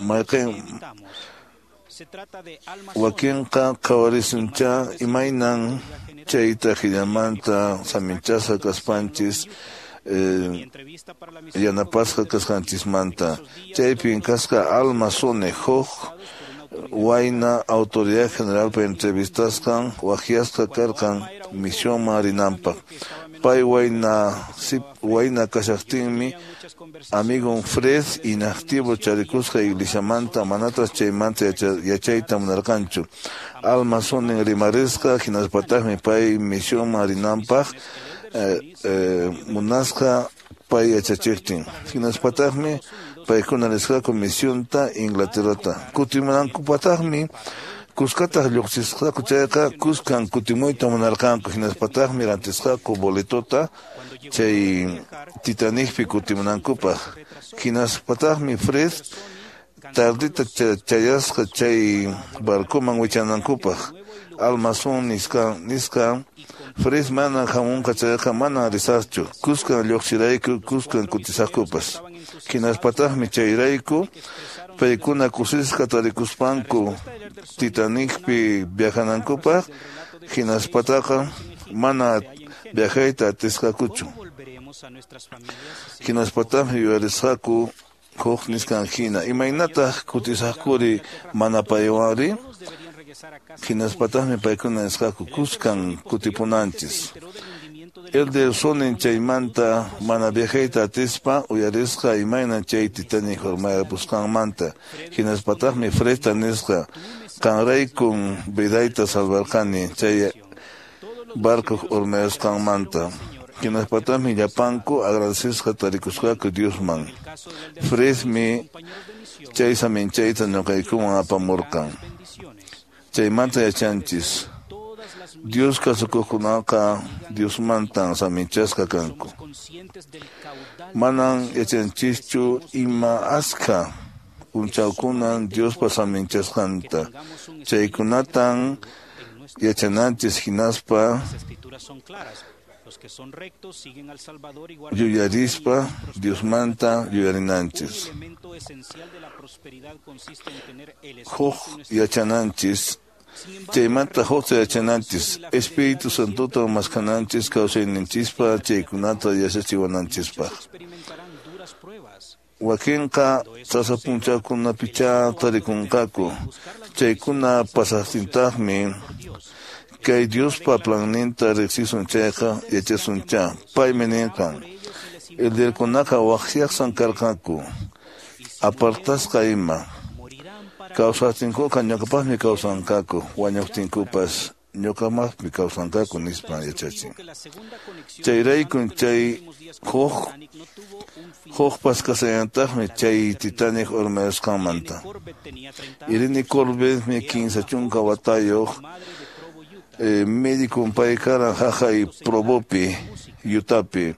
Mayqin wakinqa qhawarisuncha imaynan chayta hinamanta saminchasqa kaspanchis eh, yanapasqa kasqanchismanta. Chaypin kasqa Alma Sone huk wayna autoridad generalpa entrevistasqan waqyasqa karqan misionman rinanpaq. Pay wayna wayna kashaqtinmi amigon Fred inactivo charikusqa iglesiamanta manataq chaymanta yachayta munarqanchu. Alma Sonen rimarisqa hinaspataqmi pay misionman rinanpaq eh, eh, munasqa pay yachachiqtin. Hinaspataqmi paykuna risqaku misionta Inglaterrata. Kutimunankupataqmi kuskataq lluqsisqaku chayqa kuskan kutimuyta munarqanku. Hinaspataqmi rantisqaku boletota chay Titanicpi kutimunankupaq. Hinaspataqmi Fred tardita chayasqa chay barcoman wichanankupaq. Alma Son nisqa nisqa Fred mana hamunqa chayqa mana risaqchu. Kuskan lluqsirayku kuskan kutisaqkupas. Hinaspataqmi chayrayku paykuna kusisqa tarikuspanku Titanicpi viajanankupaq hinaspataqa mana viajayta atisqakuchu. Hinaspataqmi yuyarisqaku huk nisqan hina imaynataq kutisaqkuri mana paywanri. Hinaspataqmi paykuna nisqaku kuskan kutipunanchis. Elder Sonen chaymanta mana viajayta atispa uyarisqa imaynan chay Titanic urmayapusqanmanta. Hinaspataqmi Fredta nisqa qanraykun vidayta salvarqani chay barco urmayasqanmanta. Hinaspataqmi llapanku agradecesqa tarikusqaku Diosman. Fredmi chay saminchayta ñuqaykuman apamurqan. Chaymanta yachanchis Dios kasukuqkunaqa Diosmantan saminchasqa kanku. Manan yachanchischu ima askha punchawkunan Diospa saminchasqanta. Chaykunatan yachananchis hinaspa yuyarispa Diosmanta yuyarinanchis. Huk yachananchis chaymanta hukta yachananchis Espíritu Santota maskananchis kawsayninchispa chaykunata yachachiwananchispaq. Wakinqa sasa punchawkunapichá tarikunqaku. Chaykuna pasaqtintaqmi kay Diospa planninta riqsisun chayqa yachasunchá. Paymi ninqan elderkunaqa waqyaqsan karqanku apartasqa ima. Kawsaqtinkuqa ñuqapaqmi kawsanqaku wañuqtinkupas ñuqamaqmi kawsanqaku nispa yachachin. Chayraykun chay huk hukpas kasallantaqmi chay Titanic urmayasqanmanta. Irene Corbetmi kinsa chunka watayuq eh, médico pay karan haqay Provopi, Utapi.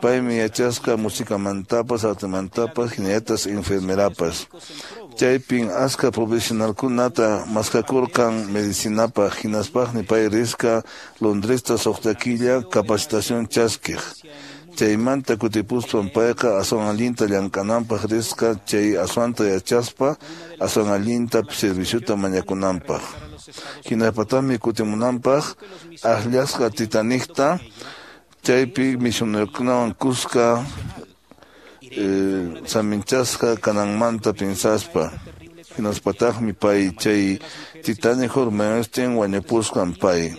Paymi yachasqa musikamantapas, artemantapas, hinallatas enfermerapas. Chaypin aska profesionalkunata maskakurqan medicinapaq, hinaspaqmi pay risqa Londresta suqta killa capacitación chaskiq. Chaymanta kutipuspan payqa aswan allinta llamk'ananpaq risqa chay aswanta yachaspa aswan allinta serviciota mañakunanpaq. Hinaspataqmi kutimunanpaq akllasqa Titanicta chaypi misionerokunawan kuska eh, saminchasqa kananmanta pinsaspa. Hinaspataqmi pay chay Titanic urmayustin wañupusqan pay.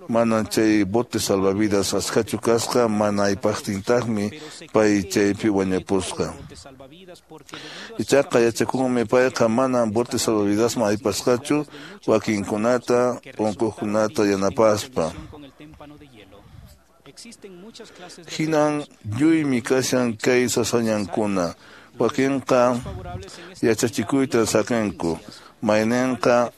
Mana chay bote salvavidas askachu kasqa, mana aypaqtintaqmi pay chaypi wañupusqa. Ichaqa yachakunmi payqa mana bote salvavidasman aypasqachu wakinkunata unquqkunata yanapaspa. Hinan lluymi kashan kay sasañankuna. Wakinqa yachachikuyta saqinku, mayninqa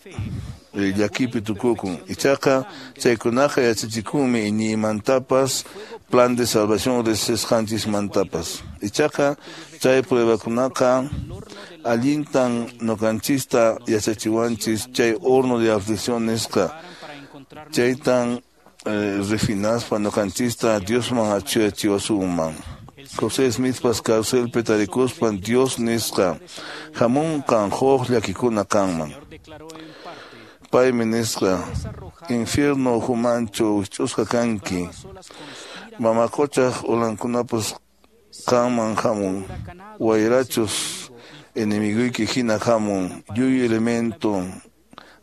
llakipi tukukun. Ichaqa chaykunaqa yachachikunmi iñiymantapas, plan de salvación riqsisqanchismantapas. Ichaqa chay pruebakunaqa allintan ñuqanchista yachachiwanchis chay horno de aflicción nisqa. Chaytan eh, refinaspa ñuqanchista Diosman achuyachiwasunman. José Smithpas carcelpi tarikuspan Dios nisqa hamunqan huk llakikuna kanman. Paymi nisqa infierno ukhumanchu wikch'usqa kanki, mama quchaq ulankunapas qanman hamun, wayrachus enemiguyki hina hamun, lluy elemento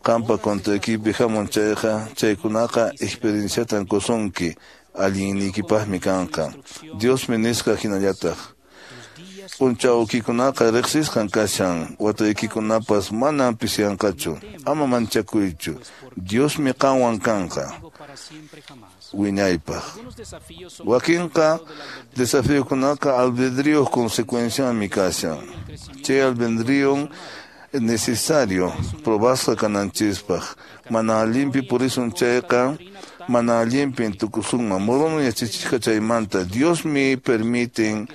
qampa contraykipi hamun chayqa, chaykunaqa experienciatan qusunki, allinniykipaqmi kanqa. Diosmi nisqa hinallataq. P'unchawkikunaqa riqsisqan kashan, wataykikunapas manam pisiyanqachu. Ama manchakuychu, Diosmi qanwan kanqa wiñaypaq. Wakinqa desafiokunaqa albedrío consecuencianmi kashan. Chay albedrío necesario probasqa kananchispaq. Mana allinpi purisun chayqa, mana allinpi tukusunman. Moroni yachachisqa chaymanta Diosmi permiten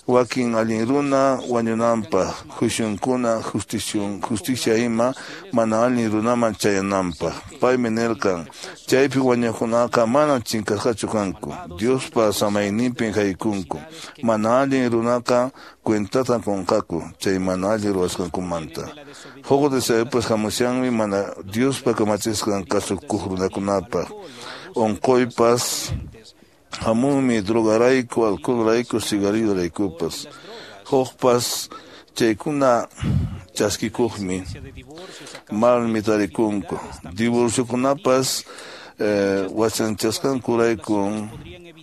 wakin allin runa wañunanpaq, juiciunkuna, justicion, justicia ima mana allin runaman chayananpaq. Paymi nirqan, chaypi wañuqkunaqa mana chinkasqachu kanku, Diospa samayninpin haykunku. Mana allin runaqa cuentatan qunqaku chay mana allin ruwasqankumanta. Huk deseopas hamushanmi mana Diospa kamachisqan kasukuq runakunapaq. Unquypas hamunmi drogarayku, alcoholrayku, cigarrillo-raykupas. Hukpas chaykuna chaskikuqmi malmi tarikunku. Divorciokunapas eh, wachanchasqankurayku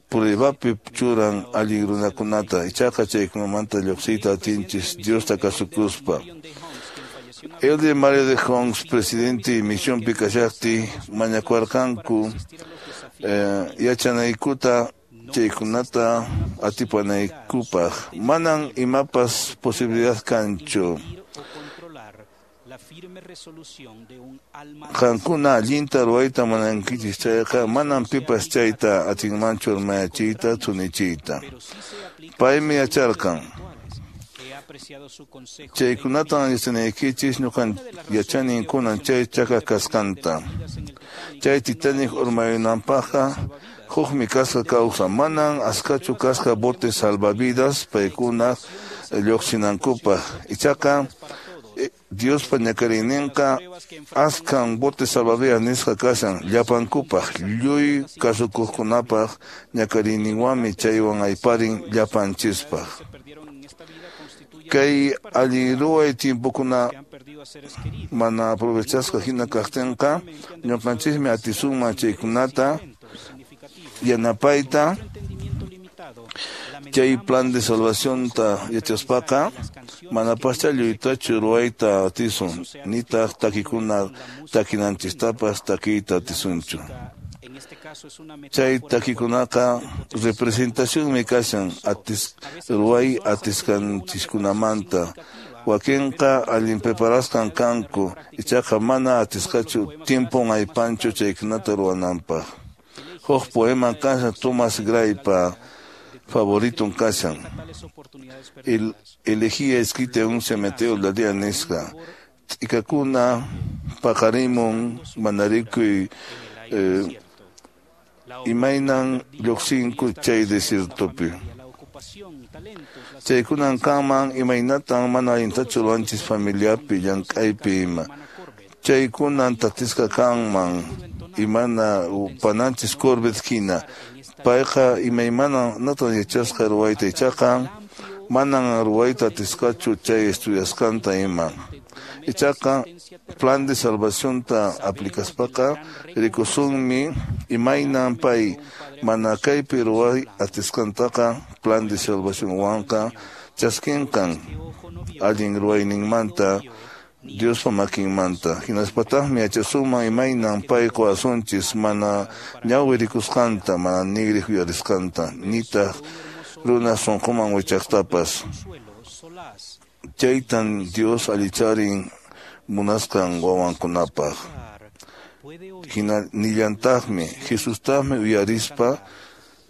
pruebapi churan allin runakunata. Ichaqa chaykunamanta lluqsiyta atinchis Diosta kasukuspa. Elder Mario de Hongs, presidente misión kashaqti, mañakuarqanku eh, yachanaykuta chaykunata atipanaykupaq. Manan imapas posibilidad kanchu. Qankuna allinta ruwayta munankichis chayqa, manan pipas chayta atinmanchu urmayachiyta thunichiyta. Paymi yacharqan. Chaykunatan yachanaykichis ñuqan yachanin kunan chay chaka kasqanta. Chay Titanic urmayunanpaqqa hukmi kasqa kawsa, manan askachu kasqa bote salvavidas paykuna lluqsinankupaq. Ichaqa Diospa ñakariyninqa askan bote salvavidas nisqa kashan llapankupaq, lluy kasukuqkunapaq ñakariyninwanmi chaywan ayparin llapanchispaq. Kay allin ruway tiempokuna mana aprovechasqa hina kaqtinqa, ñuqanchismi atisunman chaykunata yanapayta Chay plan de salvación ta yachaspaqa manapascha lluytachu ruwayta atisun nitaq takikuna takinanchistapas takiyta atisunchu. Chay takikunaqa representacionmi kashan atis ruway atisqanchiskunamanta. Wakinqa allin preparasqan kanku ichaqa mana atisqachu tiempon aypanchu chaykunata ruwananpaq. Huk poema kashan Thomas Graypa favoriton kashan. El, elegía escrita en un cementerio la día nisqa. T'ikakuna paqarimun manarikuy eh, imaynan lluqsinku chay desiertopi. Chaykunan kanman imaynatan mana allintachu ruwanchis familiapi llank'aypi ima. Chaykunan tatisqa kanman imana pananchis Corbett hina. Payqa imaymana natan yachasqa ruwayta ichaqa manan ruwayta atisqachu chay estudiasqanta ima. Ichaqa plan de salvacionta aplicaspaqa rikusunmi imaynan pay mana kaypi ruway atisqantaqa plan de salvacionwanqa chaskinqan allin ruwayninmanta Diospa makinmanta. Hinaspataqmi yachasunman imaynan pay quwasunchis mana ñawi rikusqanta, mana nigri uyarisqanta, nitaq runa sunquman wichaqtapas. Chaytan Dios allicharin munasqan wawankunapaq. Hina nillantaqmi Jesustaqmi uyarispa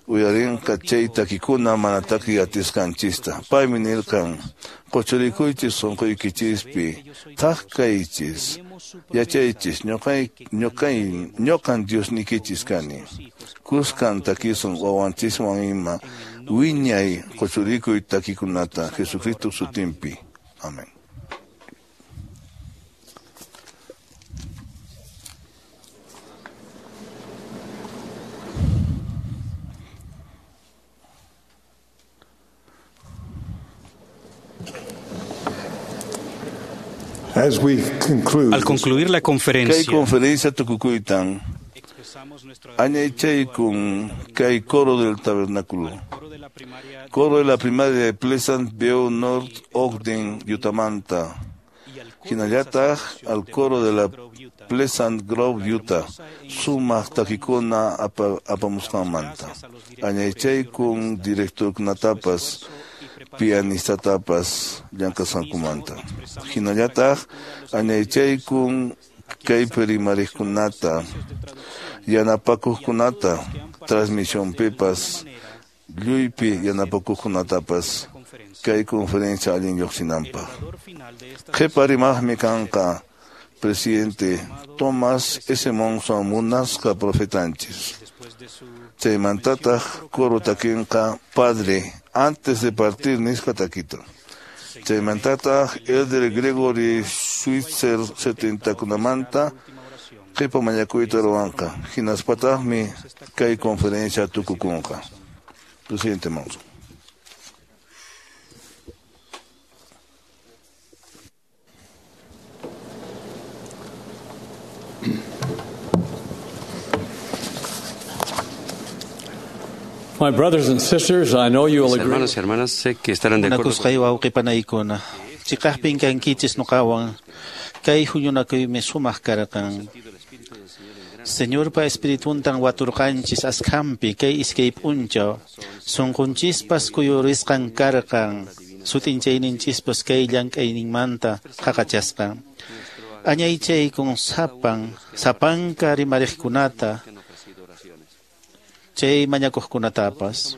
uyarinqa chay takikuna mana takiy atisqanchista. Paymi nirqan quchurikuychis sunquykichispi, thak kaychis, yachaychis, ñuqay ñuqay ñuqan Diosnikichis kani. Kuskan takisun wawanchiswan ima wiñay quchurikuy takikunata Jesucristo sutinpi. Amén. As we conclude, Al concluir la Kay conferencia, conferencia tukukuytan añaychaykun kay coro del tabernáculo. Coro de la primaria de Pleasant View North Ogden, Utamanta. Hinallataq al coro de la Pleasant Grove, Utah. Sumaq takikuna apa, apamusqanmanta. Añaychaykun directorkunatapas pianistatapas llank'asqankumanta. Hinallataq añaychaykun kaypi rimariqkunata, yanapakuqkunata, transmisionpipas, lluypi yanapakuqkunatapas kay conferencia allin lluqsinanpaq. Qhipa rimaqmi kanqa presidente Thomas S. Monson munasqa profetanchis. Chaymantataq coro takinqa Padre antes de partir nisqa takita. Chaymantataq Elder Gregory Switzer setentakunamanta qhipa mañakuyta ruwanqa. Hinaspataqmi kay conferencia tukukunqa. Presidente Monson. My brothers and sisters, I know you will Mis agree. hermanos y hermanas, sé que estarán de acuerdo Munakusqay wawqipanaykuna, chiqaqpin kankichis nuqawan, kay huñunakuymi sumaq karqan. Señorpa espirituntan waturqanchis askhampi kay iskay p'unchaw, sunqunchispas kuyurisqan karqan, sut'inchayninchispas kay llank'ayninmanta qaqachasqan. Añaychaykun sapan, sapanka rimariqkunata, chay mañakuqkunatapas.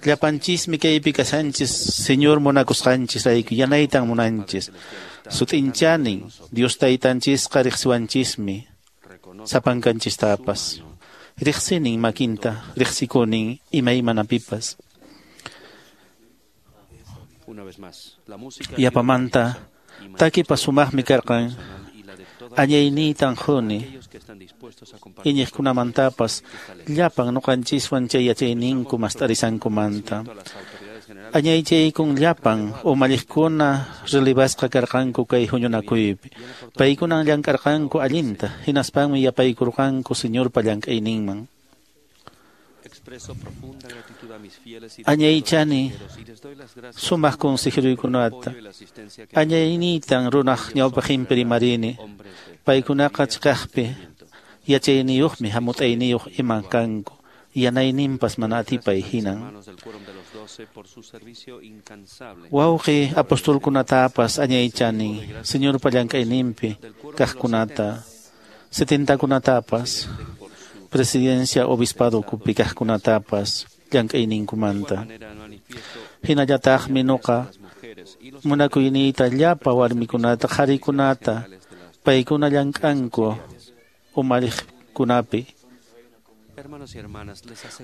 Llapanchismi kaypi kashanchis, Señor munakusqanchis rayku yanaytan munanchis. Sut'inchanin, Dios taytanchisqa riqsiwanchismi, sapankanchistapas. Riqsinin makinta, riqsikunin imaymanapipas. Una vez más, la música Yapamanta, takipas sumaqmi karqan, añayniytan quni, iñiqkunamantapas llapan nuqanchiswan chay yachayninku mast'arisankumanta. Añaychaykun llapan umalliqkuna relevasqa karqanku kay huñunakuypi. Paykunan llank'arqanku allinta, hinaspanmi yapaykurqanku Señorpa llank'ayninman. Añaychani sumaq consejeruykunata. Añaynitan runaq ñawpaqinpi rimarini. Paykunaqa chiqaqpi yachayniyuqmi hamut'ayniyuq iman kanku. Yanayninpas mana atipay hinan. Wawqi apostolkunatapas añaychani Señorpa llank'ayninpi kaqkunata, setentakunatapas, presidencia obispado ukupi kaqkunatapas llank'ayninkumanta. Hinallataqmi nuqa munakuyniyta llapa warmikunata qharikunata paykuna llank'anku umalliqkunapi.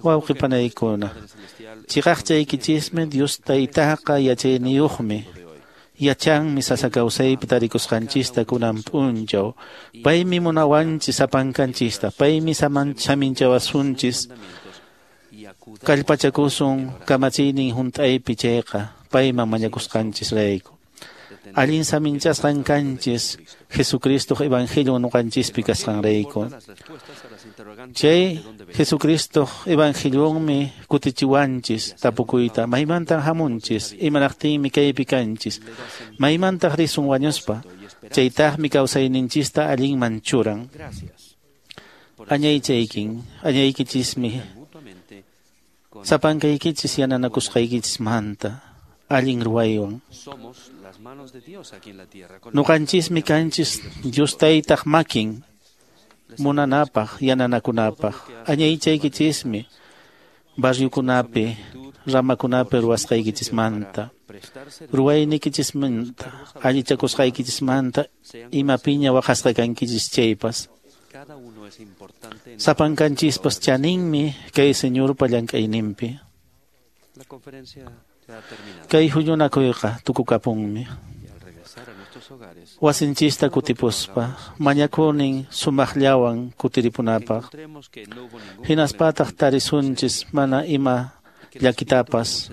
Wawqi panaykuna, chiqaqchaykichismi Dios taytaqa yachayniyuqmi. Yachanmi sasa kawsaypi tarikusqanchista kunan p'unchaw. Paymi munawanchis sapankanchista, paymi saminchawasunchis. Kallpachakusun kamachiynin hunt'aypi chayqa payman mañakusqanchisrayku. Allin saminchasqan kanchis Jesucristoq evangelion nuqanchispi kasqanrayku. Chay Jesucristoq evangelionmi kutichiwanchis tapukuyta maymantan hamunchis, imanaqtinmi kaypi kanchis, maymantaq risun wañuspa, chaytaqmi kawsayninchista allinman churan. Añaychaykin, añaykichismi sapankaykichis yananakusqaykichismanta allin ruwaywan. Nuqanchismi kanchis Dios taytaq makin munanapaq yananakunapaq. Añaychaykichismi barriukunapi ramakunapi ruwasqaykichismanta, ruwaynikichismanta, allichakusqaykichismanta, imapiña waqasqa kankichis chaypas. Sapankanchispas chaninmi kay Señorpa llank'ayninpi. Kay huñunakuyqa tukukapunmi. Wasinchista kutipuspa mañakunin sumaqllawan kutiripunapaq. Hinaspataq tarisunchis mana ima llakitapas.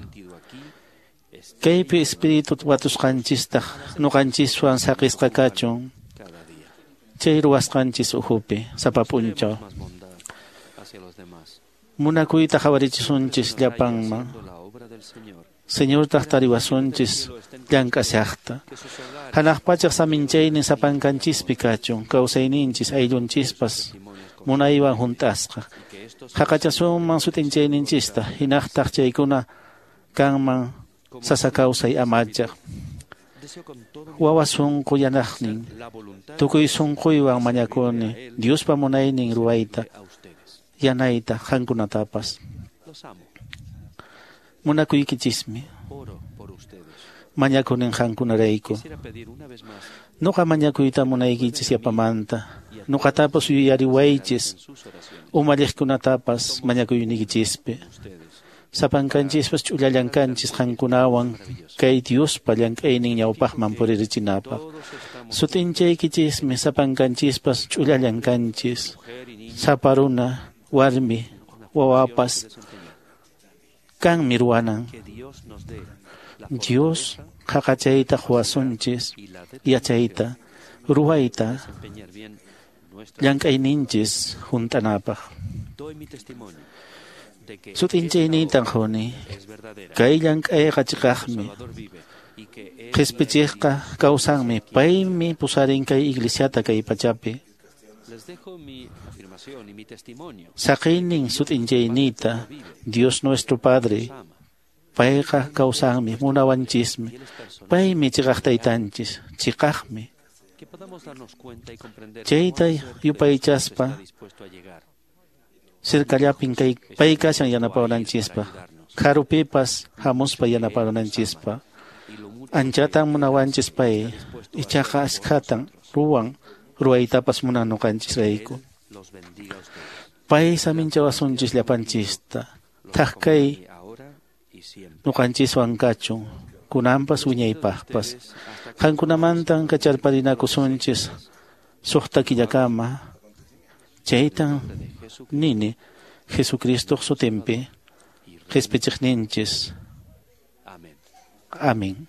Kaypi espíritu watusqanchistaq nuqanchiswan saqisqa kachun. Chay ruwasqanchis ukhupi sapa p'unchaw. Munakuyta qhawarichisunchis llapanman. Señortaq tariwasunchis llank'ashaqta. Hanaq pachaq saminchaynin sapankanchispi kachun, kawsayninchis ayllunchispas munaywan hunt'asqa. Haqachasunman sut'inchayninchista, hinaqtaq chaykuna kanman sasa kawsay amachaq. Wawa sunqu yanaqnin, tukuy sunquywan mañakuni Diospa munaynin ruwayta, yanayta qankunatapas. Munakuykichismi mañakunin qankunarayku. Nuqa mañakuyta munaykichis yapamanta. Nuqatapas yuyariwaychis umalliqkunatapas mañakuyniykichispi. Sapankanchispas ch'ullallankanchis qankunawan kay Diospa llank'aynin ñawpaqman puririchinapaq. Sut'inchaykichismi sapankanchispas ch'ullallankanchis. Sapa runa, warmi, wawapas kanmi ruwanan. Dios qhaqachayta quwasunchis, yachayta, ruwayta, llank'ayninchis hunt'anapaq. Sut'inchaynintan quni, kay llank'ayqa chiqaqmi. Qhispichiqqa kawsanmi, paymi pusarin kay iglesiata kay pachapi. Saqiynin sut'inchayniyta, Dios nuestro Padre, payqa kawsanmi, munawanchismi, paymi chiqaq taytanchis, chiqaqmi. Chayta yupaychaspa sirkallapin kay pay kashan yanapawananchispaq, karupipas hamuspa yanapawananchispaq. Anchatan munawanchis pay, ichaqa askhatan ruwan ruwaytapas munan nuqanchisrayku. Pay saminchawasunchis llapanchista, thak kay nuqanchiswan kachun, kunanpas wiñaypaqpas. Qankunamantan kacharparinakusunchis suqta killakama. Chaytan nini Jesucristoq sutinpi qhispichiqninchis. Amén.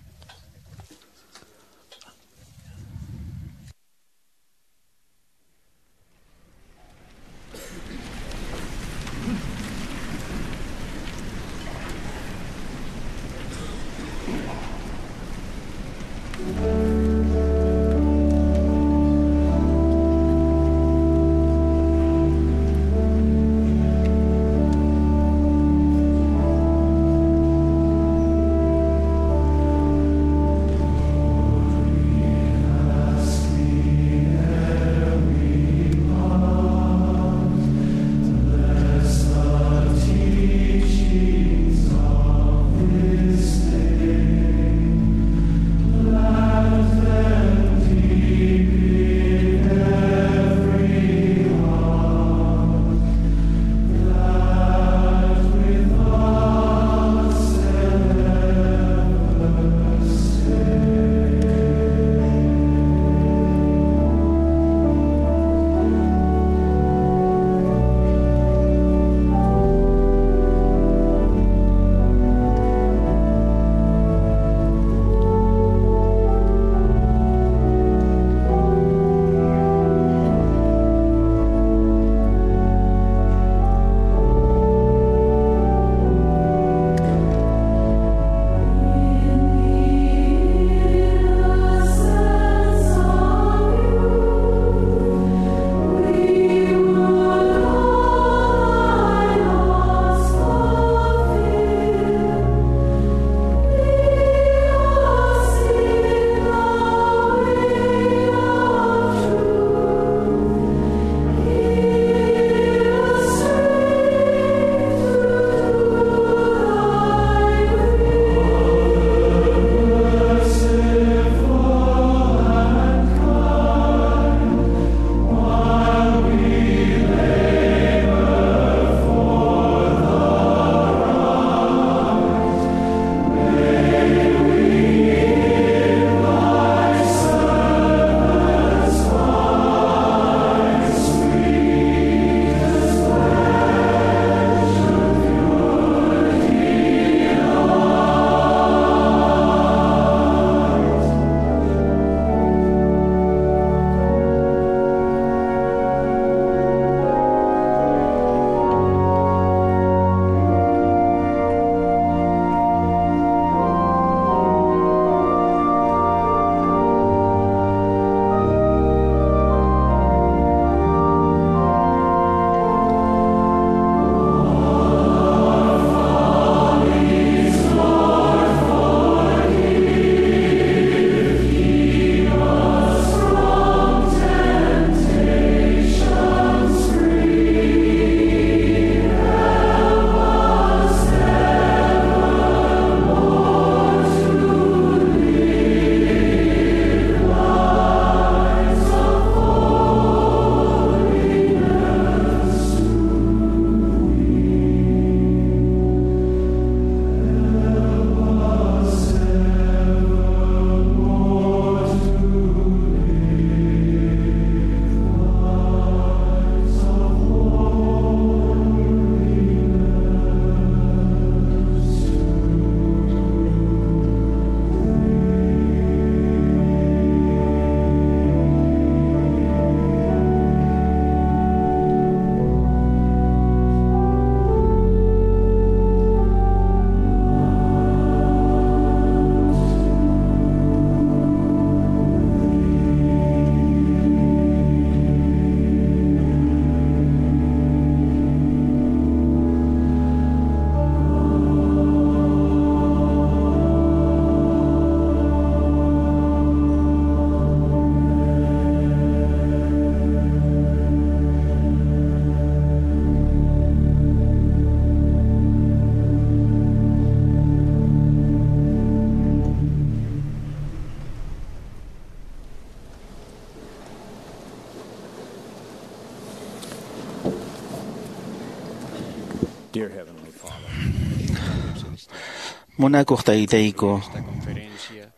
Munakuq taytayku,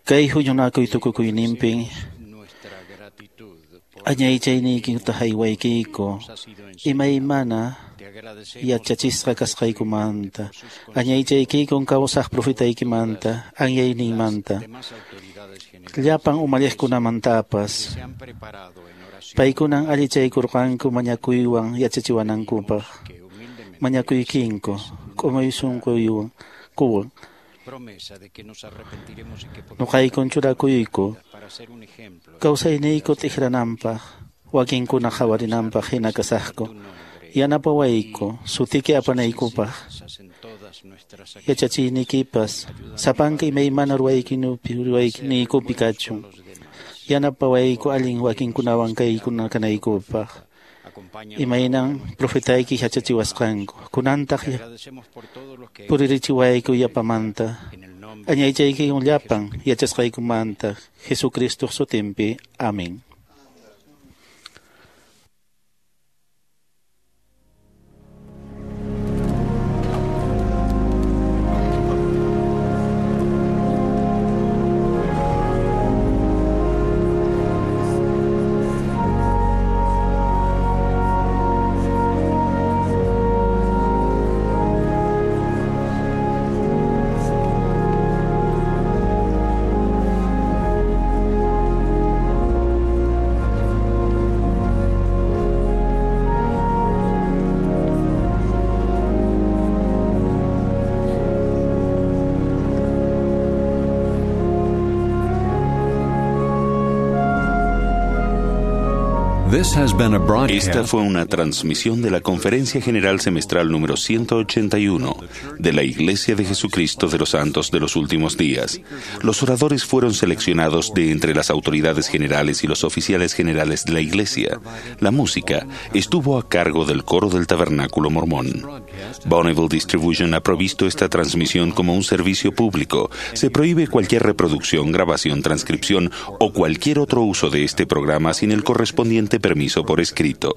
kay huñunakuy tukukuyninpin añaychayniykita haywaykiku imaymana yachachisqa kasqaykumanta, añaychaykikun kawsaq profetaykimanta, anyayninmanta, llapan umalliqkunamantapas. Paykunan allichaykurqanku mañakuywan yachachiwanankupaq, mañakuykinku k'umuy sunquywan kuwan. Nuqaykun churakuyku kawsayniyku t'ikrananpaq, wakinkuna qhawarinanpaq hina kasaqku. Yanapawayku sutiki apanaykupaq, yachachiyniykipas sapanka imaymana ruwaykinupi ruwayniykupi kachun. Yanapawayku allin wakinkunawan kaykuna kanaykupaq. Imaynan profetayki yachachiwasqanku, kunantaq puririchiwayku yapamanta. Añaychaykikun llapan yachasqaykumanta Jesucristoq sutinpi. Amén. Esta fue una transmisión de la Conferencia General Semestral número ciento ochenta y uno de la Iglesia de Jesucristo de los Santos de los Últimos Días. Los oradores fueron seleccionados de entre las autoridades generales y los oficiales generales de la Iglesia. La música estuvo a cargo del coro del Tabernáculo Mormón. Bonneville Distribution ha provisto esta transmisión como un servicio público. Se prohíbe cualquier reproducción, grabación, transcripción o cualquier otro uso de este programa sin el correspondiente permiso por escrito.